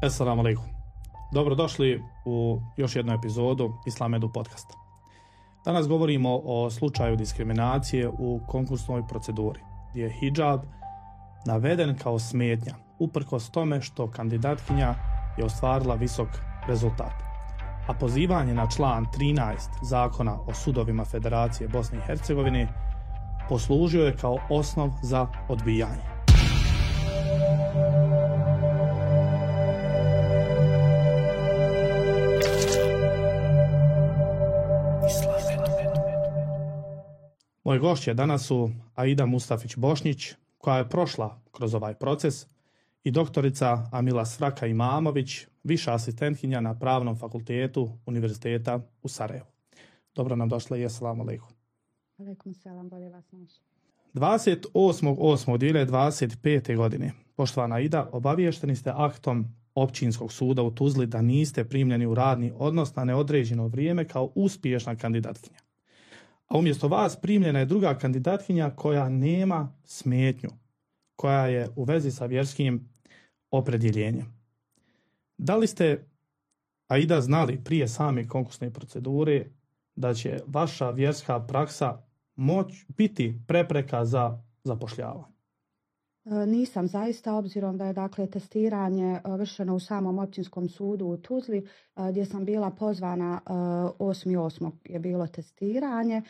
Assalamu alaikum. Dobrodošli u još jednu epizodu Islamedu podcasta. Danas govorimo o slučaju diskriminacije u konkursnoj proceduri, gdje je hidžab naveden kao smetnja, uprkos tome što kandidatkinja je ostvarila visok rezultat. A pozivanje na član 13 Zakona o sudovima Federacije Bosne i Hercegovine poslužio je kao osnov za odbijanje. Moji gošće danas su Aida Mustafić-Bošnjić, koja je prošla kroz ovaj proces, i doktorica Amila Svraka Imamović, viša asistentkinja na Pravnom fakultetu Univerziteta u Sarajevu. Dobro nam došle i assalamu alaikum. Alaikum salam, bolje vas naši. 28.8.2025. godine, poštovana Aida, obaviješteni ste aktom Općinskog suda u Tuzli da niste primljeni u radni odnos na neodređeno vrijeme kao uspješna kandidatkinja. A umjesto vas primljena je druga kandidatkinja koja nema smetnju, koja je u vezi sa vjerskim opredjeljenjem. Da li ste, Aida, znali prije same konkursne procedure da će vaša vjerska praksa biti prepreka za zapošljavanje? Nisam zaista, obzirom da je testiranje vršeno u samom općinskom sudu u Tuzli, gdje sam bila pozvana 8.8. je bilo testiranje.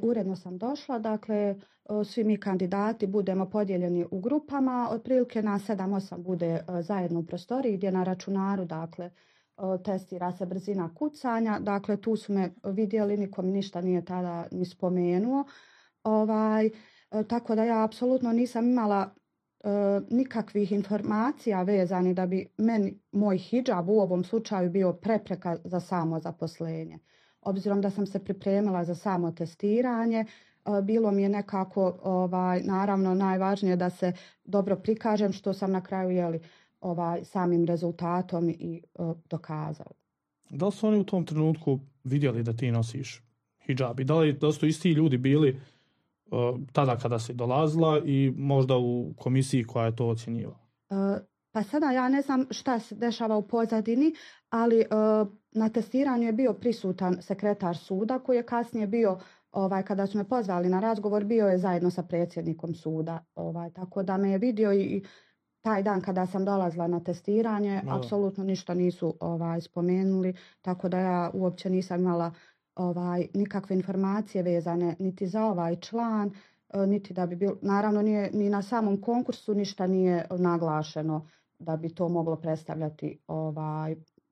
Uredno sam došla, svi mi kandidati budemo podijeljeni u grupama, otprilike na 7-8 bude zajedno u prostoriji gdje na računaru testira se brzina kucanja. Tu su me vidjeli, niko mi ništa nije tada ni spomenuo. Tako da ja apsolutno nisam imala nikakvih informacija vezani da bi meni moj hidžab u ovom slučaju bio prepreka za samo zaposlenje. Obzirom da sam se pripremila za samo testiranje, bilo mi je nekako naravno najvažnije da se dobro prikažem, što sam na kraju samim rezultatom i dokazala. Da li su oni u tom trenutku vidjeli da ti nosiš hidžab i da li su isti ljudi bili tada kada si dolazila i možda u komisiji koja je to ocjenjivala? Pa sada ja ne znam šta se dešava u pozadini, ali na testiranju je bio prisutan sekretar suda koji je kasnije bio, kada su me pozvali na razgovor, bio je zajedno sa predsjednikom suda. Tako da me je vidio i taj dan kada sam dolazila na testiranje, apsolutno ništa nisu spomenuli, tako da ja uopće nisam imala nikakve informacije vezane niti za ovaj član, niti da bi bilo, naravno nije ni na samom konkursu ništa nije naglašeno da bi to moglo predstavljati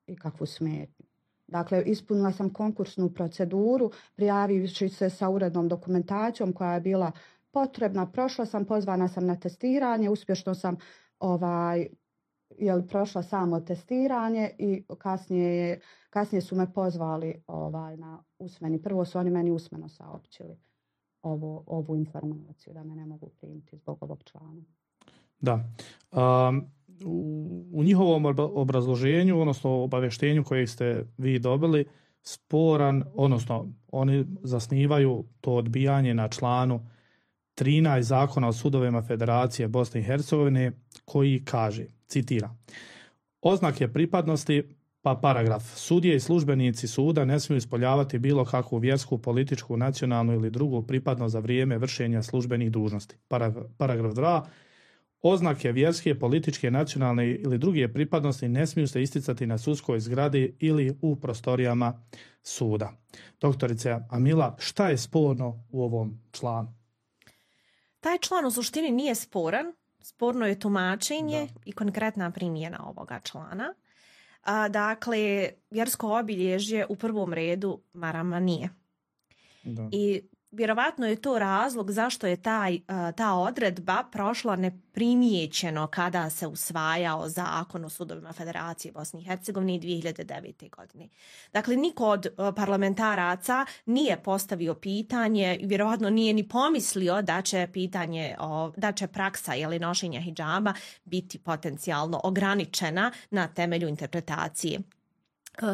ikakvu smetnju. Dakle, ispunila sam konkursnu proceduru, prijavivši se sa urednom dokumentacijom koja je bila potrebna, prošla sam, pozvana sam na testiranje, uspješno sam prošla samo testiranje i kasnije su me pozvali na usmeni. Prvo su oni meni usmeno saopćili ovu informaciju da me ne mogu primiti zbog ovog člana. Da. U njihovom obrazloženju, odnosno obavještenju koje ste vi dobili, sporan, odnosno oni zasnivaju to odbijanje na članu 13 Zakona o sudovima Federacije Bosne i Hercegovine, koji kaže, citiram: oznake pripadnosti, pa paragraf: sudije i službenici suda ne smiju ispoljavati bilo kakvu vjersku, političku, nacionalnu ili drugu pripadnost za vrijeme vršenja službenih dužnosti. Paragraf 2: oznake vjerske, političke, nacionalne ili druge pripadnosti ne smiju se isticati na sudskoj zgradi ili u prostorijama suda. Doktorice Amila, šta je sporno u ovom članu? Taj član u suštini nije sporan. Sporno je tumačenje i konkretna primjena ovoga člana. Dakle, vjersko obilježje u prvom redu marama nije. Da. I vjerovatno je to razlog zašto je ta odredba prošla neprimjećeno kada se usvajao Zakon o sudovima Federacije Bosne i Hercegovine 2009. godine. Dakle, niko od parlamentaraca nije postavio pitanje, vjerovatno nije ni pomislio da će praksa nošenja hidžaba biti potencijalno ograničena na temelju interpretacije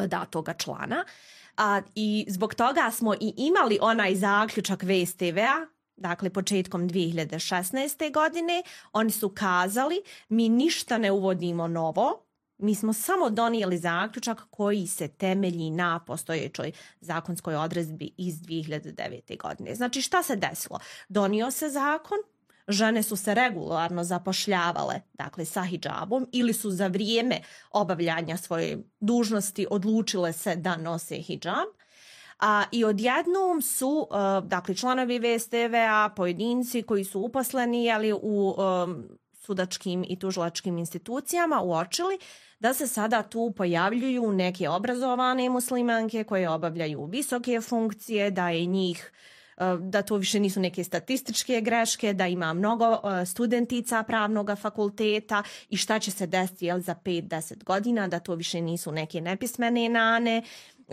datoga člana. I zbog toga smo i imali onaj zaključak VSTV-a, dakle početkom 2016. godine. Oni su kazali, mi ništa ne uvodimo novo, Mi smo samo donijeli zaključak koji se temelji na postojećoj zakonskoj odredbi iz 2009. godine. Znači šta se desilo? Donio se zakon, žene su se regularno zapošljavale, dakle sa hidžabom, ili su za vrijeme obavljanja svoje dužnosti odlučile se da nose hidžab. I odjednom su, dakle, članovi VSTV-a, pojedinci koji su uposleni u sudačkim i tužilačkim institucijama uočili da se sada tu pojavljuju neke obrazovane muslimanke koje obavljaju visoke funkcije, da je njih, da to više nisu neke statističke greške, da ima mnogo studentica pravnog fakulteta i šta će se desiti za 5-10 godina, da to više nisu neke nepismene nane,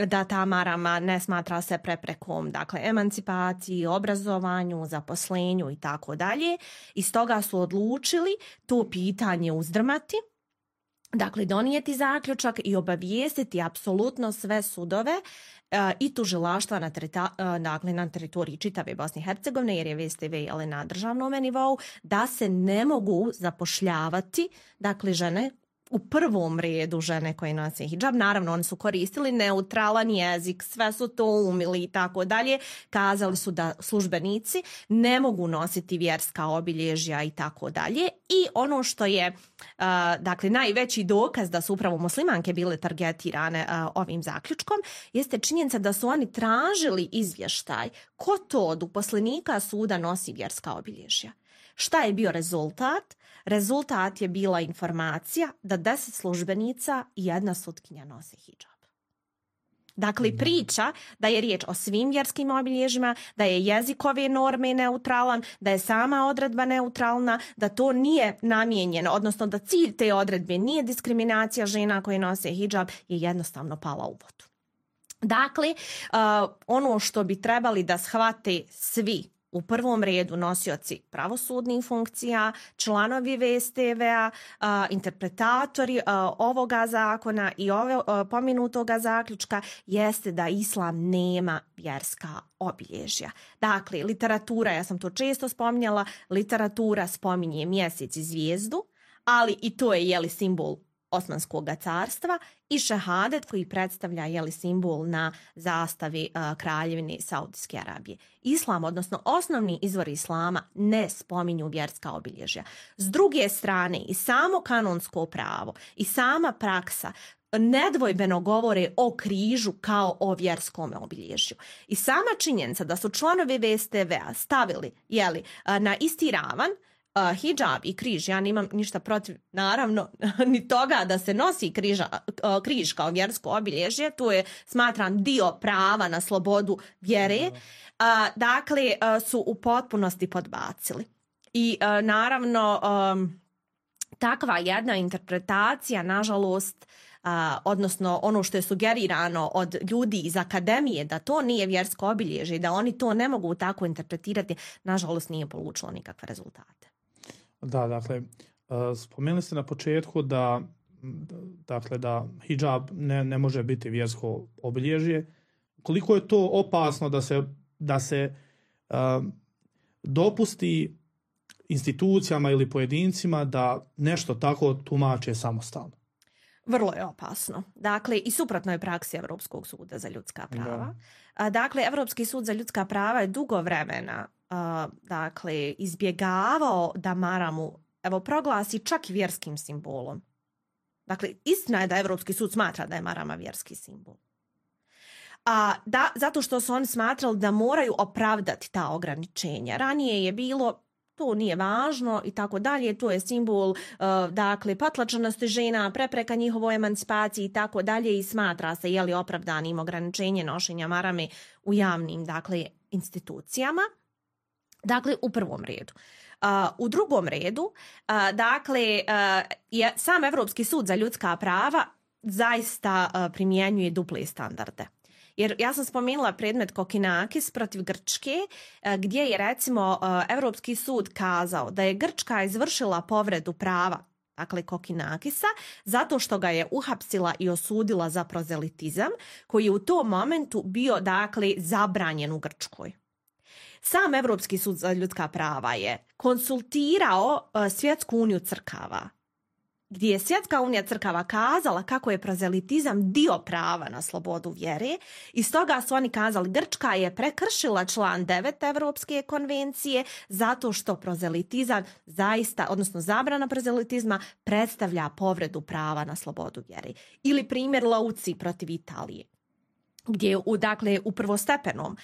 da ta marama ne smatra se preprekom, dakle, emancipaciji, obrazovanju, zaposlenju i tako dalje. I stoga su odlučili to pitanje uzdrmati, dakle, donijeti zaključak i obavijestiti apsolutno sve sudove i tužilaštva na teritoriji čitave Bosne i Hercegovine, jer je VSTV na državnom nivou, da se ne mogu zapošljavati, dakle, žene, u prvom redu žene koje nose hidžab. Naravno, oni su koristili neutralan jezik, sve su to umili i tako dalje. Kazali su da službenici ne mogu nositi vjerska obilježja i tako dalje. I ono što je dakle, najveći dokaz da su upravo muslimanke bile targetirane ovim zaključkom jeste činjenica da su oni tražili izvještaj ko to od uposlenika suda nosi vjerska obilježja. Šta je bio rezultat? Rezultat je bila informacija da 10 službenica i 1 sutkinja nose hidžab. Dakle, priča da je riječ o svim vjerskim obilježjima, da je jezik ove norme neutralan, da je sama odredba neutralna, da to nije namijenjeno, odnosno da cilj te odredbe nije diskriminacija žena koje nose hidžab, je jednostavno pala u vodu. Dakle, ono što bi trebali da shvate svi, u prvom redu nosioci pravosudnih funkcija, članovi VSTV-a, interpretatori ovoga zakona i pomenutoga zaključka, jeste da islam nema vjerska obilježja. Dakle, literatura, ja sam to često spominjala, literatura spominje mjesec i zvijezdu, ali i to je simbol Osmanskog carstva, i šehadet koji predstavlja simbol na zastavi kraljevine Saudijske Arabije. Islam, odnosno osnovni izvor islama, ne spominju vjerska obilježja. S druge strane, i samo kanonsko pravo i sama praksa nedvojbeno govore o križu kao o vjerskom obilježju. I sama činjenica da su članovi VSTV-a stavili na isti ravan hidžab i križ, ja nemam ništa protiv, naravno, ni toga da se nosi križ kao vjersko obilježje, to je, smatram, dio prava na slobodu vjere, dakle, su u potpunosti podbacili. I naravno, takva jedna interpretacija, nažalost, odnosno ono što je sugerirano od ljudi iz akademije da to nije vjersko obilježje i da oni to ne mogu tako interpretirati, nažalost nije polučilo nikakve rezultate. Da, dakle, spomenuli ste na početku da hidžab ne može biti vjersko obilježje. Koliko je to opasno da se dopusti institucijama ili pojedincima da nešto tako tumače samostalno? Vrlo je opasno. Dakle, i suprotno je praksi Europskog suda za ljudska prava. Dakle, Europski sud za ljudska prava je dugo vremena izbjegavao da maramu proglasi čak i vjerskim simbolom. Dakle, istina je da Europski sud smatra da je marama vjerski simbol. Zato što su oni smatrali da moraju opravdati ta ograničenja. Ranije je bilo to nije važno i tako dalje, to je simbol potlačenosti žena, prepreka njihovoj emancipaciji i tako dalje, i smatra se opravdanim ograničenje nošenja marame u javnim institucijama. Dakle, u prvom redu. U drugom redu, sam Europski sud za ljudska prava zaista primjenjuje duple standarde. Jer ja sam spomenula predmet Kokinakis protiv Grčke, gdje je recimo Europski sud kazao da je Grčka izvršila povredu prava, dakle Kokinakisa, zato što ga je uhapsila i osudila za prozelitizam, koji je u tom momentu bio zabranjen u Grčkoj. Sam Europski sud za ljudska prava je konsultirao Svjetsku uniju crkava gdje je Svjetska unija crkava kazala kako je prozelitizam dio prava na slobodu vjere i stoga su oni kazali Grčka je prekršila član 9 Evropske konvencije zato što prozelitizam zaista, odnosno zabrana prozelitizma predstavlja povredu prava na slobodu vjere. Ili primjer Lauci protiv Italije, gdje je u prvostepenom,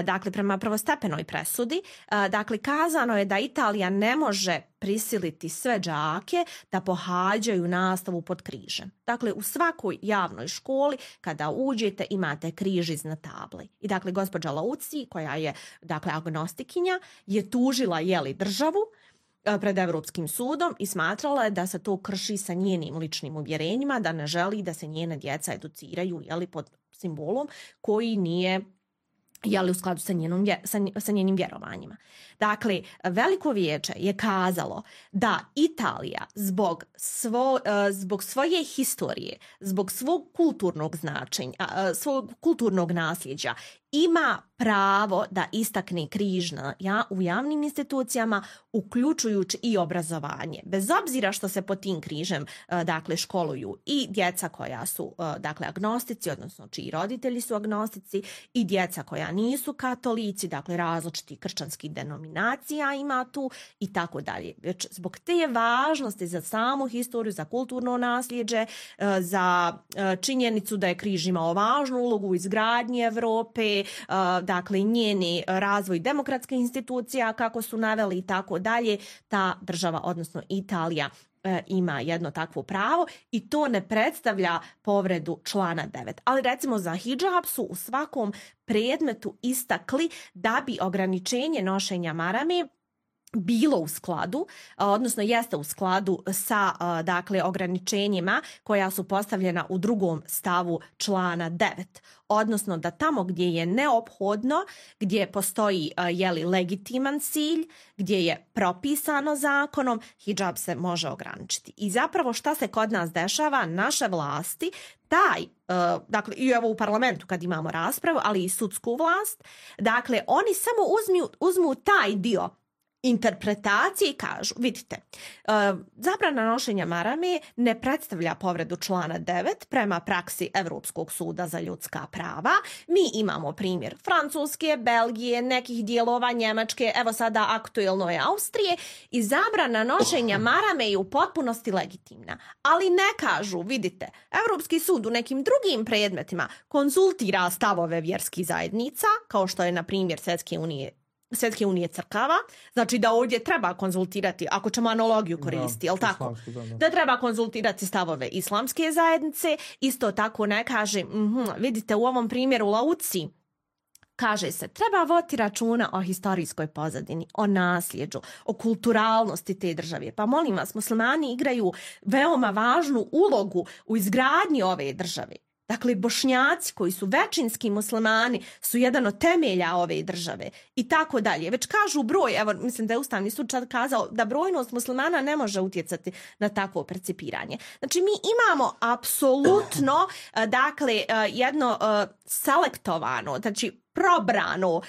dakle prema prvostepenoj presudi, dakle kazano je da Italija ne može prisiliti sve đake da pohađaju nastavu pod križem. Dakle, u svakoj javnoj školi kada uđete imate križ iznad table. I dakle, gospođa Lauci, koja je dakle agnostikinja, je tužila državu pred Europskim sudom i smatrala je da se to krši sa njenim ličnim uvjerenjima, da ne želi da se njene djeca educiraju pod simbolom koji nije u skladu sa njenim vjerovanjima. Dakle, Veliko vijeće je kazalo da Italija zbog svoje historije, zbog svog kulturnog značenja, svog kulturnog nasljeđa ima pravo da istakne križ u javnim institucijama, uključujući i obrazovanje. Bez obzira što se pod tim križem dakle školuju i djeca koja su dakle agnostici, odnosno čiji roditelji su agnostici, i djeca koja nisu katolici, dakle različitih kršćanskih denominacija ima tu i tako dalje. Već zbog te važnosti za samu historiju, za kulturno nasljeđe, za činjenicu da je križ imao važnu ulogu u izgradnji Europe, dakle njeni razvoj demokratskih institucija kako su naveli i tako dalje, ta država, odnosno Italija, ima jedno takvo pravo i to ne predstavlja povredu člana 9. Ali recimo za hidžab su u svakom predmetu istakli da bi ograničenje nošenja marame bilo u skladu, odnosno jeste u skladu sa dakle ograničenjima koja su postavljena u 2. stavu člana 9. Odnosno da tamo gdje je neophodno, gdje postoji legitiman cilj, gdje je propisano zakonom, hidžab se može ograničiti. I zapravo šta se kod nas dešava, naše vlasti, dakle i evo u parlamentu kad imamo raspravu, ali i sudsku vlast, dakle oni samo uzmu taj dio interpretacije i kažu, vidite, zabrana nošenja marame ne predstavlja povredu člana 9 prema praksi Europskog suda za ljudska prava. Mi imamo primjer Francuske, Belgije, nekih dijelova Njemačke, evo sada aktuelno je Austrije, i zabrana nošenja marame je u potpunosti legitimna. Ali ne kažu, vidite, Europski sud u nekim drugim predmetima konzultira stavove vjerskih zajednica, kao što je na primjer Svjetske unije crkava, znači da ovdje treba konzultirati, ako ćemo analogiju koristiti, jel tako? Da treba konzultirati stavove islamske zajednice, isto tako ne kaže, vidite u ovom primjeru Lauci, kaže se, treba voditi računa o historijskoj pozadini, o nasljeđu, o kulturalnosti te države. Pa molim vas, muslimani igraju veoma važnu ulogu u izgradnji ove države. Dakle, Bošnjaci koji su većinski muslimani su jedan od temelja ove države i tako dalje. Već kažu broj, evo mislim da je Ustavni sud čak kazao da brojnost muslimana ne može utjecati na takvo percipiranje. Znači mi imamo apsolutno dakle jedno selektovano, znači probrano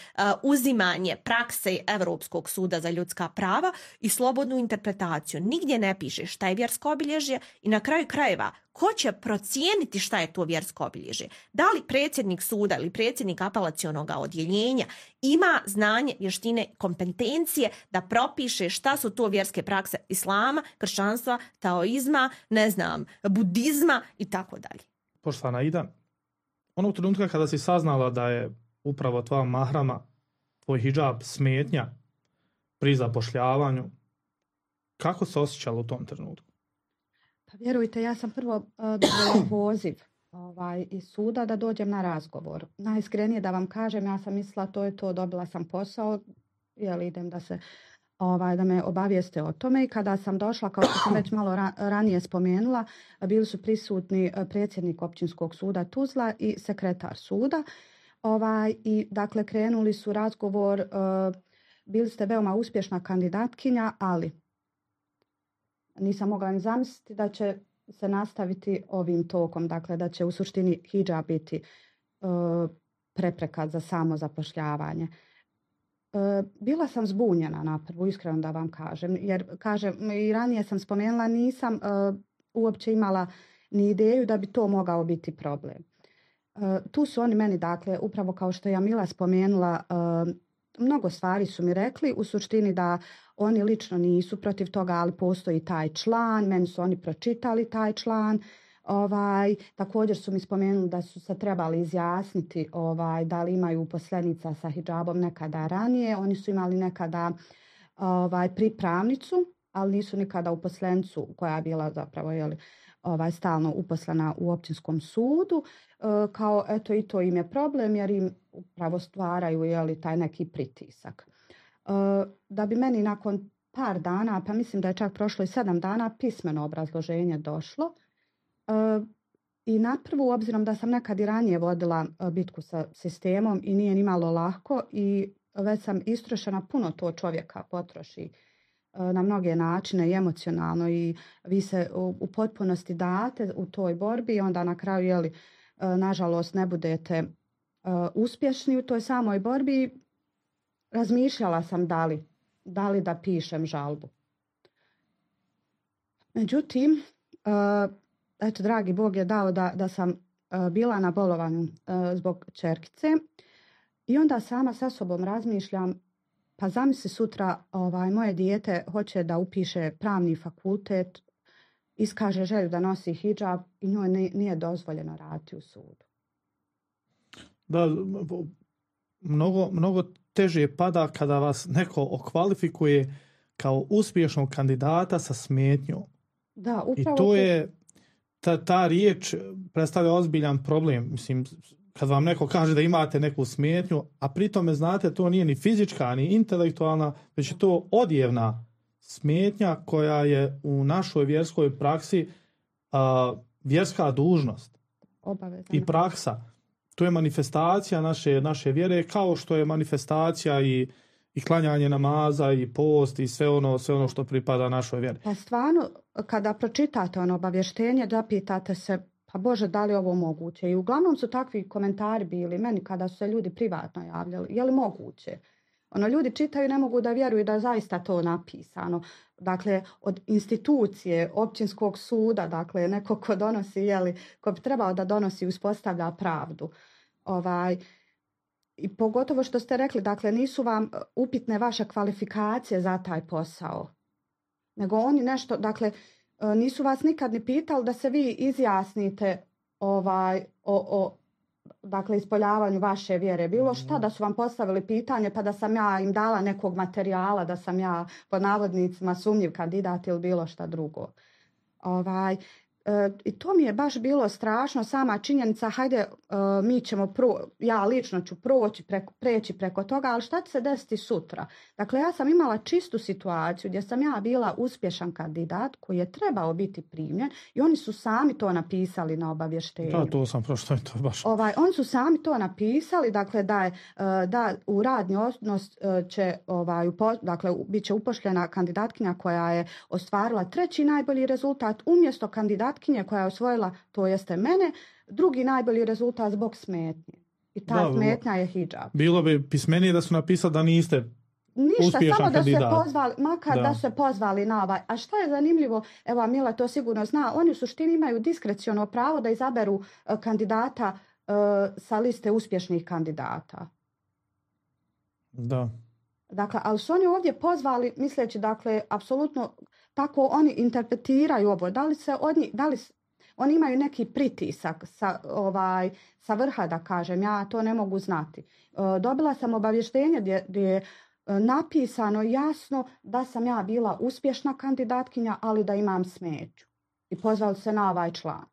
uzimanje prakse Europskog suda za ljudska prava i slobodnu interpretaciju. Nigdje ne piše šta je vjersko obilježje i na kraju krajeva ko će procijeniti šta je to vjersko obilježje. Da li predsjednik suda ili predsjednik apelacionog odjeljenja ima znanje, vještine, kompetencije da propiše šta su to vjerske prakse islama, kršćanstva, taoizma, budizma i tako dalje. Poštovana Ida, onog trenutka kada si saznala da je upravo tvoja mahrama, tvoj hidžab smetnja pri zapošljavanju, kako se osjećala u tom trenutku? Pa vjerujte, ja sam prvo dobila poziv iz suda da dođem na razgovor. Najiskrenije da vam kažem, ja sam mislila to je to, dobila sam posao, idem da me obavijeste o tome, i kada sam došla, kao što sam već malo ranije spomenula, bili su prisutni predsjednik općinskog suda Tuzla i sekretar suda. I dakle krenuli su razgovor, bili ste veoma uspješna kandidatkinja, ali nisam mogla ni zamisliti da će se nastaviti ovim tokom, dakle da će u suštini hidžab biti prepreka za samo zapošljavanje. Bila sam zbunjena na prvu, iskreno da vam kažem, jer kažem i ranije sam spomenula, nisam uopće imala ni ideju da bi to mogao biti problem. Tu su oni meni, dakle, upravo kao što je Jamila spomenula, mnogo stvari su mi rekli, u suštini da oni lično nisu protiv toga, ali postoji taj član, meni su oni pročitali taj član. Također su mi spomenuli da su se trebali izjasniti da li imaju uposlenica sa hidžabom nekada ranije. Oni su imali nekada pripravnicu, ali nisu nikada uposlenicu koja je bila zapravo stalno uposlena u općinskom sudu. Kao eto i to im je problem jer im upravo stvaraju taj neki pritisak. Da bi meni nakon par dana, pa mislim da je čak prošlo i 7 dana, pismeno obrazloženje došlo. I na prvu, obzirom da sam nekad i ranije vodila bitku sa sistemom i nije ni malo lako i već sam istrošena, puno to čovjeka potroši na mnoge načine i emocionalno i vi se u potpunosti date u toj borbi i onda na kraju nažalost ne budete uspješni u toj samoj borbi. Razmišljala sam da li da pišem žalbu. Međutim, eto, dragi Bog je dao da sam bila na bolovanju zbog ćerkice i onda sama sa sobom razmišljam, pa zamisli sutra moje dijete hoće da upiše pravni fakultet, iskaže želju da nosi hidžab i njoj nije dozvoljeno raditi u sudu. Da, mnogo teže pada kada vas neko okvalifikuje kao uspješnog kandidata sa smetnjom. Da, upravo i to je ta riječ predstavlja ozbiljan problem. Mislim, kad vam neko kaže da imate neku smetnju, a pri tome znate to nije ni fizička, ni intelektualna, već je to odjevna smetnja koja je u našoj vjerskoj praksi vjerska dužnost. Obavezno. I praksa. To je manifestacija naše vjere, kao što je manifestacija i klanjanje namaza i post i sve ono što pripada našoj vjeri. Pa stvarno, kada pročitate obavještenje, zapitate se, pa Bože, da li je ovo moguće? I uglavnom su takvi komentari bili meni kada su se ljudi privatno javljali. Je li moguće? Ljudi čitaju i ne mogu da vjeruju da je zaista to napisano. Dakle, od institucije, općinskog suda, dakle, neko ko donosi, ko bi trebao da donosi i uspostavlja pravdu. I pogotovo što ste rekli, dakle, nisu vam upitne vaše kvalifikacije za taj posao. Nego oni nešto, dakle, nisu vas nikad ni pitali da se vi izjasnite dakle, ispoljavanju vaše vjere. Bilo šta da su vam postavili pitanje pa da sam ja im dala nekog materijala, da sam ja pod navodnicima sumnjiv kandidat ili bilo šta drugo. I to mi je baš bilo strašno, sama činjenica, hajde, mi ćemo ja lično ću preći preko toga, ali šta će se desiti sutra? Dakle, ja sam imala čistu situaciju gdje sam ja bila uspješan kandidat koji je trebao biti primljen i oni su sami to napisali na obavještenju. Da, to sam prošlo, to je baš. Oni su sami to napisali, dakle, da u radni odnos će, dakle, bit će upošljena kandidatkinja koja je ostvarila 3. najbolji rezultat umjesto kandidatkinje koja je osvojila, to jeste mene, 2. najbolji rezultat zbog smetnje. I ta smetnja je hidžab. Bilo bi pismenije da su napisali da niste ništa, uspješan samo kandidat. Da se pozvali, makar da se pozvali na ovaj. A šta je zanimljivo, evo Mila to sigurno zna, oni u suštini imaju diskreciono pravo da izaberu kandidata sa liste uspješnih kandidata. Da. Dakle, ali su oni ovdje pozvali, misleći, dakle, apsolutno tako oni interpretiraju ovo. Da li oni imaju neki pritisak sa vrha, da kažem, ja to ne mogu znati. Dobila sam obavještenje gdje je napisano jasno da sam ja bila uspješna kandidatkinja, ali da imam smetnju. I pozvali se na ovaj član.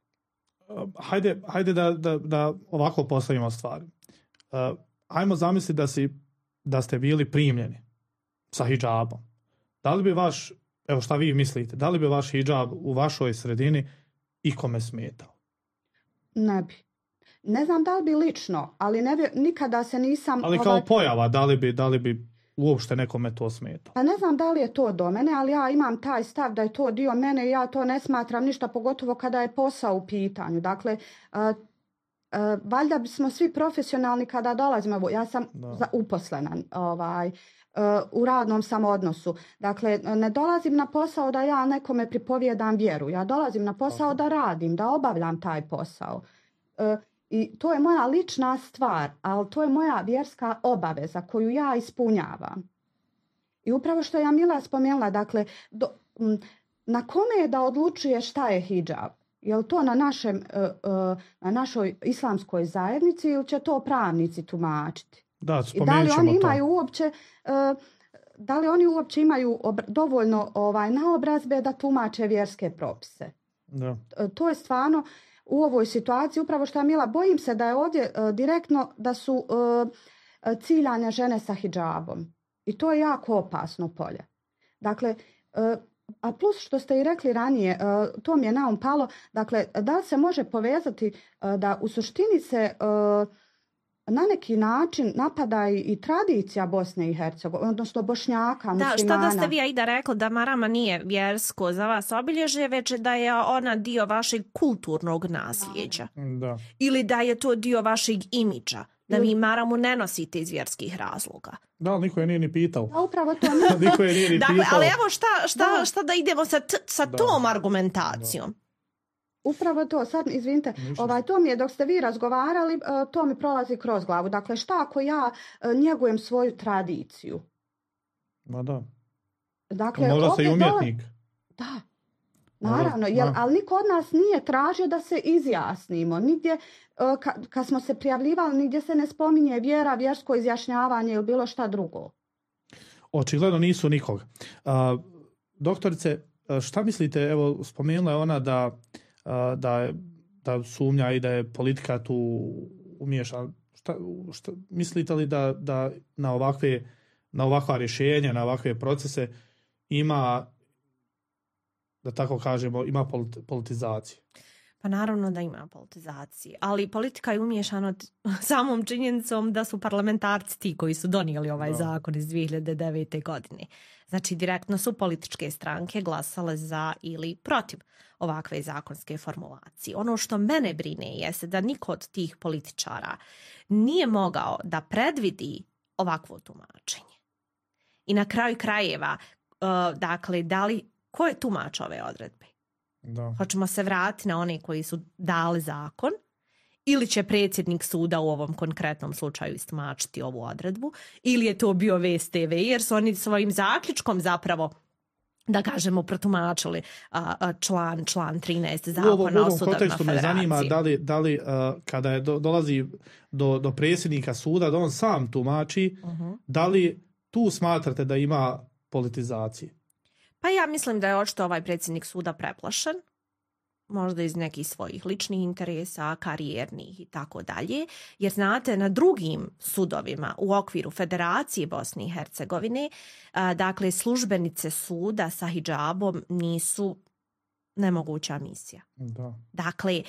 Hajde da ovako postavimo stvari. Ajmo zamisliti da ste bili primljeni sa hidžabom. Da li bi evo šta vi mislite, da li bi vaš hidžab u vašoj sredini ikome smetao? Ne bi. Ne znam da li bi lično, ali nikada se nisam... Ali kao pojava, da li bi uopšte nekome to smetao? Pa ne znam da li je to do mene, ali ja imam taj stav da je to dio mene i ja to ne smatram ništa, pogotovo kada je posao u pitanju. Dakle, valjda smo svi profesionalni kada dolazimo. Ja sam uposlena. u radnom sam odnosu. Dakle, ne dolazim na posao da ja nekome pripovijedam vjeru. Ja dolazim na posao da radim, da obavljam taj posao. I to je moja lična stvar, ali to je moja vjerska obaveza koju ja ispunjavam. I upravo što je Jamila spomenula, dakle, na kome je da odlučuje šta je hidžab? Je li to na našoj islamskoj zajednici ili će to pravnici tumačiti? Da, i da li oni imaju uopće da li oni uopće imaju dovoljno naobrazbe da tumače vjerske propise? Da. To je stvarno u ovoj situaciji, upravo što Mila, bojim se da je ovdje direktno da su ciljane žene sa hidžabom. I to je jako opasno polje. Dakle, a plus što ste i rekli ranije, to mi je na um palo, dakle, da li se može povezati da u suštini se na neki način napada i tradicija Bosne i Hercegovine, odnosno Bošnjaka, muslimana. Da, što da ste vi, Aida, rekli da marama nije vjersko za vas obilježje, već da je ona dio vašeg kulturnog nasljeđa. Da. Ili da je to dio vašeg imidža, da vi maramu ne nosite iz vjerskih razloga. Da, ali niko je nije ni pitao. Da, upravo to niko je nije ni pitao. Dakle, ali evo šta da idemo sa tom argumentacijom. Da. Upravo to, sad izvinite, to mi je dok ste vi razgovarali, to mi prolazi kroz glavu. Dakle, šta ako ja njegujem svoju tradiciju? Ma da. Dakle, možda se i umjetnik. Da, naravno, ali niko od nas nije tražio da se izjasnimo. Nigdje, kad smo se prijavljivali, nigdje se ne spominje vjera, vjersko izjašnjavanje ili bilo šta drugo. Očigledno nisu nikog. Doktorice, šta mislite, evo spomenula je ona da sumnja i da je politika tu umiješana. Šta mislite li da na ovakva rješenja, na ovakve procese ima, da tako kažemo, ima politizacije? Pa naravno da ima politizacije, ali politika je umiješana samom činjenicom da su parlamentarci ti koji su donijeli ovaj zakon iz 2009. godine. Znači, direktno su političke stranke glasale za ili protiv ovakve zakonske formulacije. Ono što mene brine jeste da niko od tih političara nije mogao da predvidi ovakvo tumačenje. I na kraju krajeva, dakle, ko je tumač ove odredbe? Da. Hoćemo se vratiti na one koji su dali zakon ili će predsjednik suda u ovom konkretnom slučaju istumačiti ovu odredbu ili je to bio VSTV jer su oni svojim zaključkom zapravo, da kažemo, protumačili član 13 zakona o sudovima federacije. U ovom kontekstu me zanima da li kada dolazi do predsjednika suda da on sam tumači, da li tu smatrate da ima politizacije? Pa ja mislim da je očito ovaj predsjednik suda preplašen, možda iz nekih svojih ličnih interesa, karijernih i tako dalje, jer znate, na drugim sudovima u okviru Federacije Bosne i Hercegovine, dakle, službenice suda sa hidžabom nisu nemoguća misija. Da. Dakle,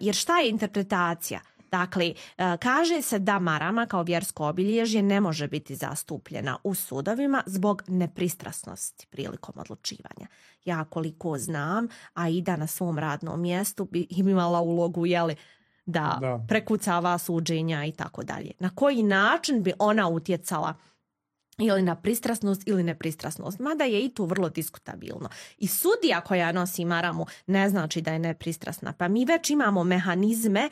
jer šta je interpretacija? Dakle, kaže se da marama kao vjersko obilježje ne može biti zastupljena u sudovima zbog nepristrasnosti prilikom odlučivanja. Ja koliko znam, Aida na svom radnom mjestu bi imala ulogu da prekucava suđenja i tako dalje. Na koji način bi ona utjecala ili na pristrasnost ili nepristrasnost, mada je i tu vrlo diskutabilno. I sudija koja nosi maramu ne znači da je nepristrasna, pa mi već imamo mehanizme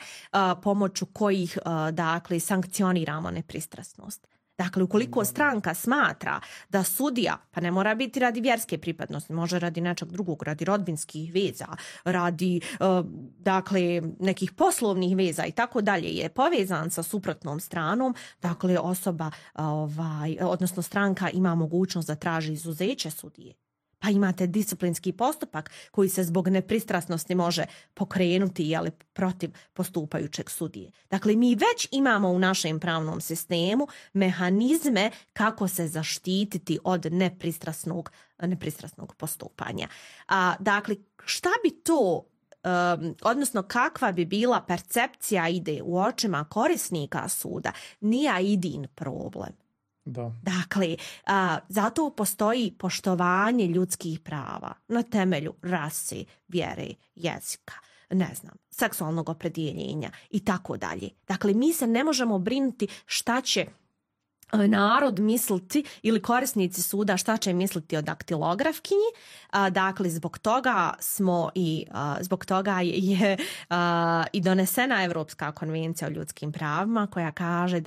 pomoću kojih dakle sankcioniramo nepristrasnost. Dakle, ukoliko stranka smatra da sudija, pa ne mora biti radi vjerske pripadnosti, može radi nečeg drugog, radi rodbinskih veza, radi dakle nekih poslovnih veza i tako dalje, je povezan sa suprotnom stranom, dakle osoba, odnosno stranka ima mogućnost da traži izuzeće sudije. Pa imate disciplinski postupak koji se zbog nepristrasnosti može pokrenuti protiv postupajućeg sudije. Dakle, mi već imamo u našem pravnom sistemu mehanizme kako se zaštititi od nepristrasnog postupanja. Dakle, šta bi to, odnosno kakva bi bila percepcija ide u očima korisnika suda, nije Aidin problem. Da. Dakle, zato postoji poštovanje ljudskih prava na temelju rase, vjere, jezika, seksualnog opredjeljenja i tako dalje. Dakle, mi se ne možemo brinuti šta će narod misliti ili korisnici suda šta će misliti o daktilografkinji. Dakle, zbog toga je i donesena Europska konvencija o ljudskim pravima koja kaže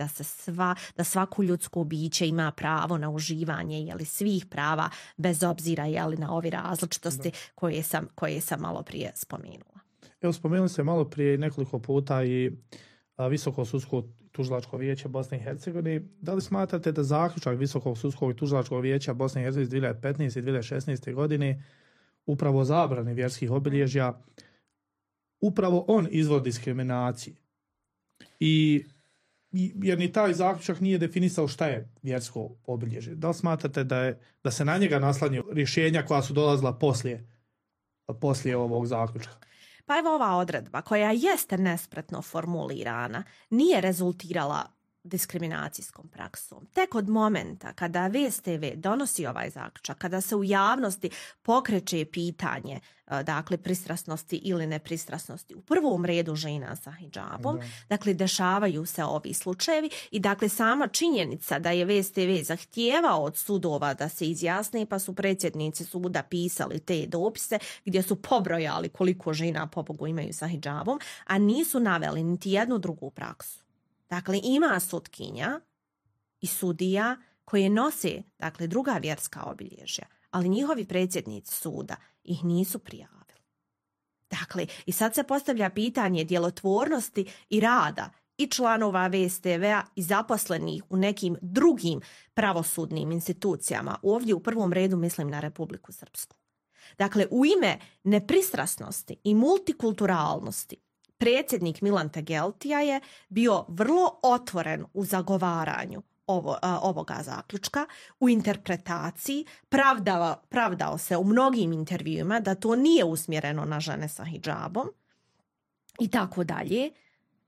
da svako ljudsko biće ima pravo na uživanje svih prava bez obzira na ove različitosti koje sam malo prije spomenula. Evo, spomenuli ste malo prije nekoliko puta i Visoko sudsko tužilačko vijeće Bosne i Hercegovine. Da li smatrate da zaključak Visokog sudskog i tužilačkog vijeća Bosne i Hercegovine 2015. i 2016. godine upravo zabrani vjerskih obilježja, upravo on izvor diskriminacije? Jer ni taj zaključak nije definisao šta je vjersko obilježje. Da li smatrate da se na njega naslanjaju rješenja koja su dolazila poslije ovog zaključka? Pa evo, ova odredba koja jeste nespretno formulirana nije rezultirala diskriminacijskom praksom. Tek od momenta kada VSTV donosi ovaj zaključak, kada se u javnosti pokreće pitanje dakle pristrasnosti ili nepristrasnosti u prvom redu žena sa hidžabom, dakle dešavaju se ovi slučajevi i dakle sama činjenica da je VSTV zahtijevao od sudova da se izjasne, pa su predsjednici suda pisali te dopise gdje su pobrojali koliko žena pobogu imaju sa hidžabom, a nisu naveli niti jednu drugu praksu. Dakle, ima sutkinja i sudija koje nose dakle, druga vjerska obilježja, ali njihovi predsjednici suda ih nisu prijavili. Dakle, i sad se postavlja pitanje djelotvornosti i rada i članova VSTV-a i zaposlenih u nekim drugim pravosudnim institucijama. Ovdje u prvom redu mislim na Republiku Srpsku. Dakle, u ime nepristrasnosti i multikulturalnosti predsjednik Milan Tegeltija je bio vrlo otvoren u zagovaranju ovoga zaključka, u interpretaciji, pravdao se u mnogim intervjuima da to nije usmjereno na žene sa hidžabom i tako dalje.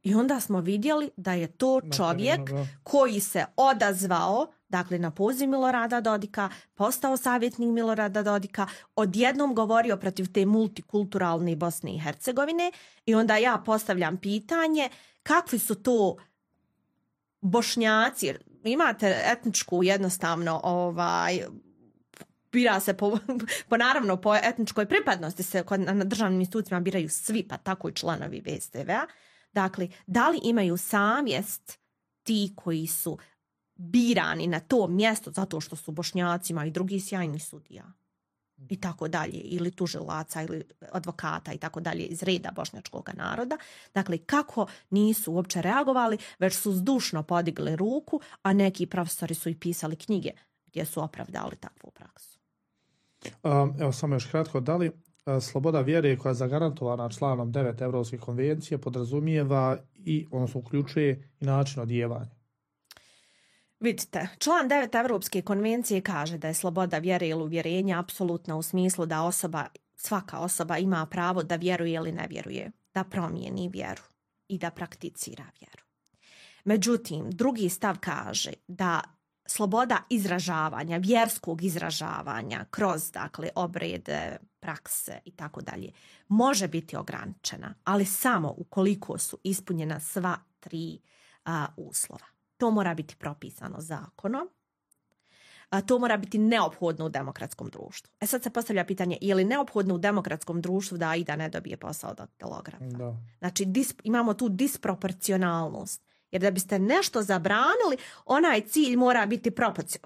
I onda smo vidjeli da je to čovjek koji se odazvao dakle na poziv Milorada Dodika, postao savjetnik Milorada Dodika, odjednom govorio protiv te multikulturalne Bosne i Hercegovine i onda ja postavljam pitanje kakvi su to Bošnjaci, imate etničku jednostavno bira se naravno po etničkoj pripadnosti se na državnim institucijama biraju svi, pa tako i članovi VSTV-a. Dakle, da li imaju savjest ti koji su birani na to mjesto zato što su Bošnjacima i drugi sjajni sudija i tako dalje, ili tužilaca ili advokata i tako dalje iz reda bošnjačkog naroda. Dakle, kako nisu uopće reagovali, već su zdušno podigli ruku, a neki profesori su i pisali knjige gdje su opravdali takvu praksu. Evo samo još kratko, da li sloboda vjere koja je zagarantovana članom 9 Europske konvencije podrazumijeva odnosno uključuje i način odijevanja? Vidite, član 9 Europske konvencije kaže da je sloboda vjere ili uvjerenja apsolutna u smislu da svaka osoba ima pravo da vjeruje ili ne vjeruje, da promijeni vjeru i da prakticira vjeru. Međutim, drugi stav kaže da sloboda izražavanja, vjerskog izražavanja kroz dakle obrede, prakse i tako dalje može biti ograničena, ali samo ukoliko su ispunjena sva tri uslova. To mora biti propisano zakonom. To mora biti neophodno u demokratskom društvu. Sad se postavlja pitanje, je li neophodno u demokratskom društvu da Aida ne dobije posao daktilografa? Da. Znači, imamo tu disproporcionalnost. Jer da biste nešto zabranili, onaj cilj mora biti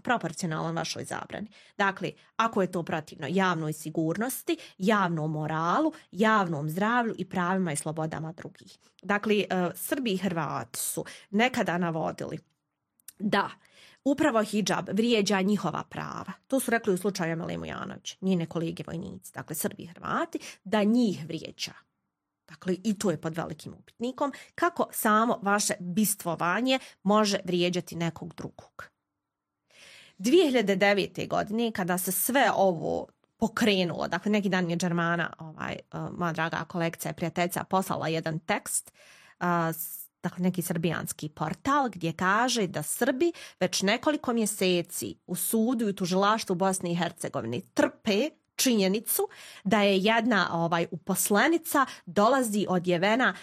proporcionalan vašoj zabrani. Dakle, ako je to protivno javnoj sigurnosti, javnom moralu, javnom zdravlju i pravima i slobodama drugih. Dakle, Srbi i Hrvati su nekada navodili da upravo hidžab vrijeđa njihova prava. To su rekli u slučaju Emile Mujanović, njene kolege vojnici, dakle Srbi i Hrvati, da njih vrijeđa. Dakle, i to je pod velikim upitnikom. Kako samo vaše bistvovanje može vrijeđati nekog drugog? 2009. godine, kada se sve ovo pokrenulo, dakle, neki dan je Germana, moja draga kolegica i prijateljica, poslala jedan tekst, dakle, neki srbijanski portal, gdje kaže da Srbi već nekoliko mjeseci u sudu i tužilaštvu Bosne i Hercegovine trpe činjenicu da je jedna uposlenica dolazi odjevena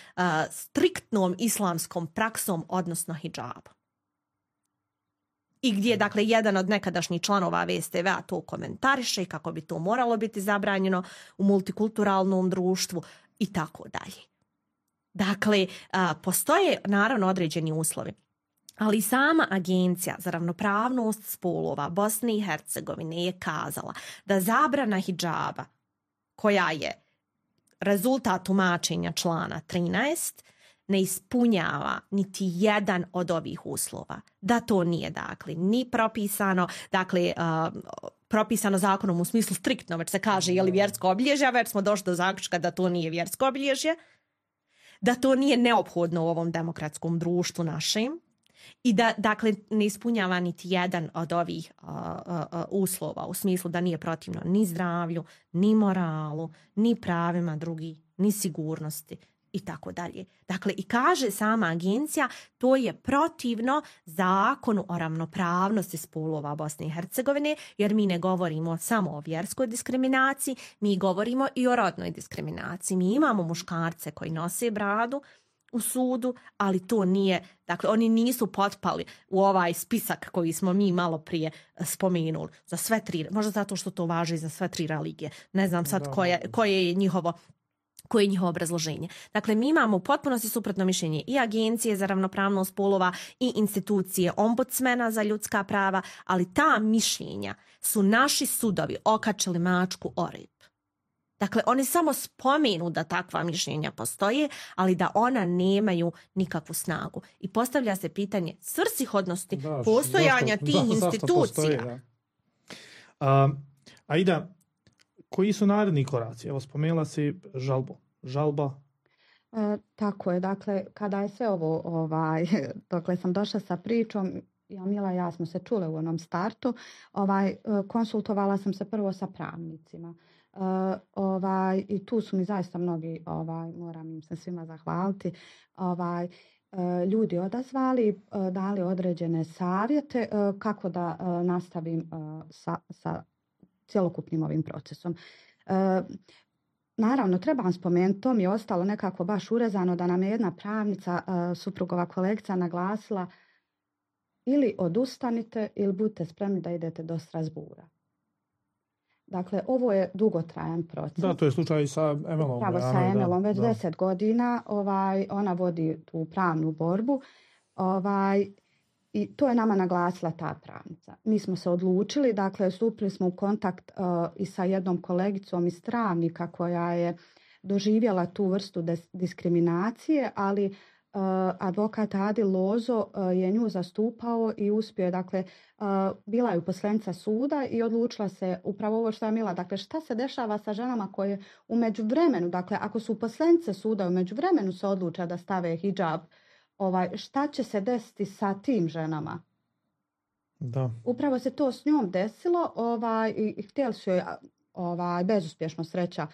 striktnom islamskom praksom, odnosno hidžabom. I gdje, dakle, jedan od nekadašnjih članova VSTV-a to komentariše i kako bi to moralo biti zabranjeno u multikulturalnom društvu i tako dalje. Dakle, postoje naravno određeni uslovi, ali sama Agencija za ravnopravnost spolova Bosne i Hercegovine je kazala da zabrana hidžaba, koja je rezultat tumačenja člana 13, ne ispunjava niti jedan od ovih uslova. Da to nije, dakle, ni propisano, dakle, propisano zakonom u smislu striktno, već se kaže je li vjersko obilježje, već smo došli do zaključka da to nije vjersko obilježje, da to nije neophodno u ovom demokratskom društvu našem i da, dakle, ne ispunjava niti jedan od ovih uslova u smislu da nije protivno ni zdravlju, ni moralu, ni pravima drugih, ni sigurnosti i tako dalje. Dakle, i kaže sama agencija, to je protivno zakonu o ravnopravnosti spolova Bosne i Hercegovine, jer mi ne govorimo samo o vjerskoj diskriminaciji, mi govorimo i o rodnoj diskriminaciji. Mi imamo muškarce koji nose bradu u sudu, ali to nije, dakle, oni nisu potpali u ovaj spisak koji smo mi malo prije spomenuli za sve tri, možda zato što to važi za sve tri religije. Ne znam sad koje je njihovo obrazloženje. Dakle, mi imamo u potpunosti suprotno mišljenje i Agencije za ravnopravnost spolova i institucije ombudsmena za ljudska prava, ali ta mišljenja su naši sudovi okačili mačku o rep. Dakle, oni samo spomenu da takva mišljenja postoje, ali da ona nemaju nikakvu snagu. I postavlja se pitanje svrsishodnosti postojanja tih institucija. Aida, koji su naredni koraci? Evo, spomenula si žalba. Tako je, dakle, kada je sve ovo, dokle sam došla sa pričom, Jamila i ja smo se čule u onom startu, konsultovala sam se prvo sa pravnicima. I tu su mi zaista mnogi, moram im se svima zahvaliti, ljudi odazvali, dali određene savjete kako da nastavim sa cjelokupnim ovim procesom. Naravno, trebam spomenuti, to mi je ostalo nekako baš urezano da nam je jedna pravnica, suprugova kolegica, naglasila ili odustanite ili budite spremni da idete do Strasbura. Dakle, ovo je dugotrajan proces. Da, to je slučaj sa Emelom. Pravo sa Emelom, već 10 godina ona vodi tu pravnu borbu. I to je nama naglasila ta pravnica. Mi smo se odlučili, dakle, stupili smo u kontakt i sa jednom kolegicom iz Travnika koja je doživjela tu vrstu diskriminacije, ali advokat Adil Lozo je nju zastupao i uspio je, dakle, bila je uposlenica suda i odlučila se upravo ovo što je Mila, dakle, šta se dešava sa ženama koje u međuvremenu, dakle, ako su uposlenice suda u međuvremenu se odluče da stave hidžab, šta će se desiti sa tim ženama? Da. Upravo se to s njom desilo i htjeli su joj bezuspješno sreća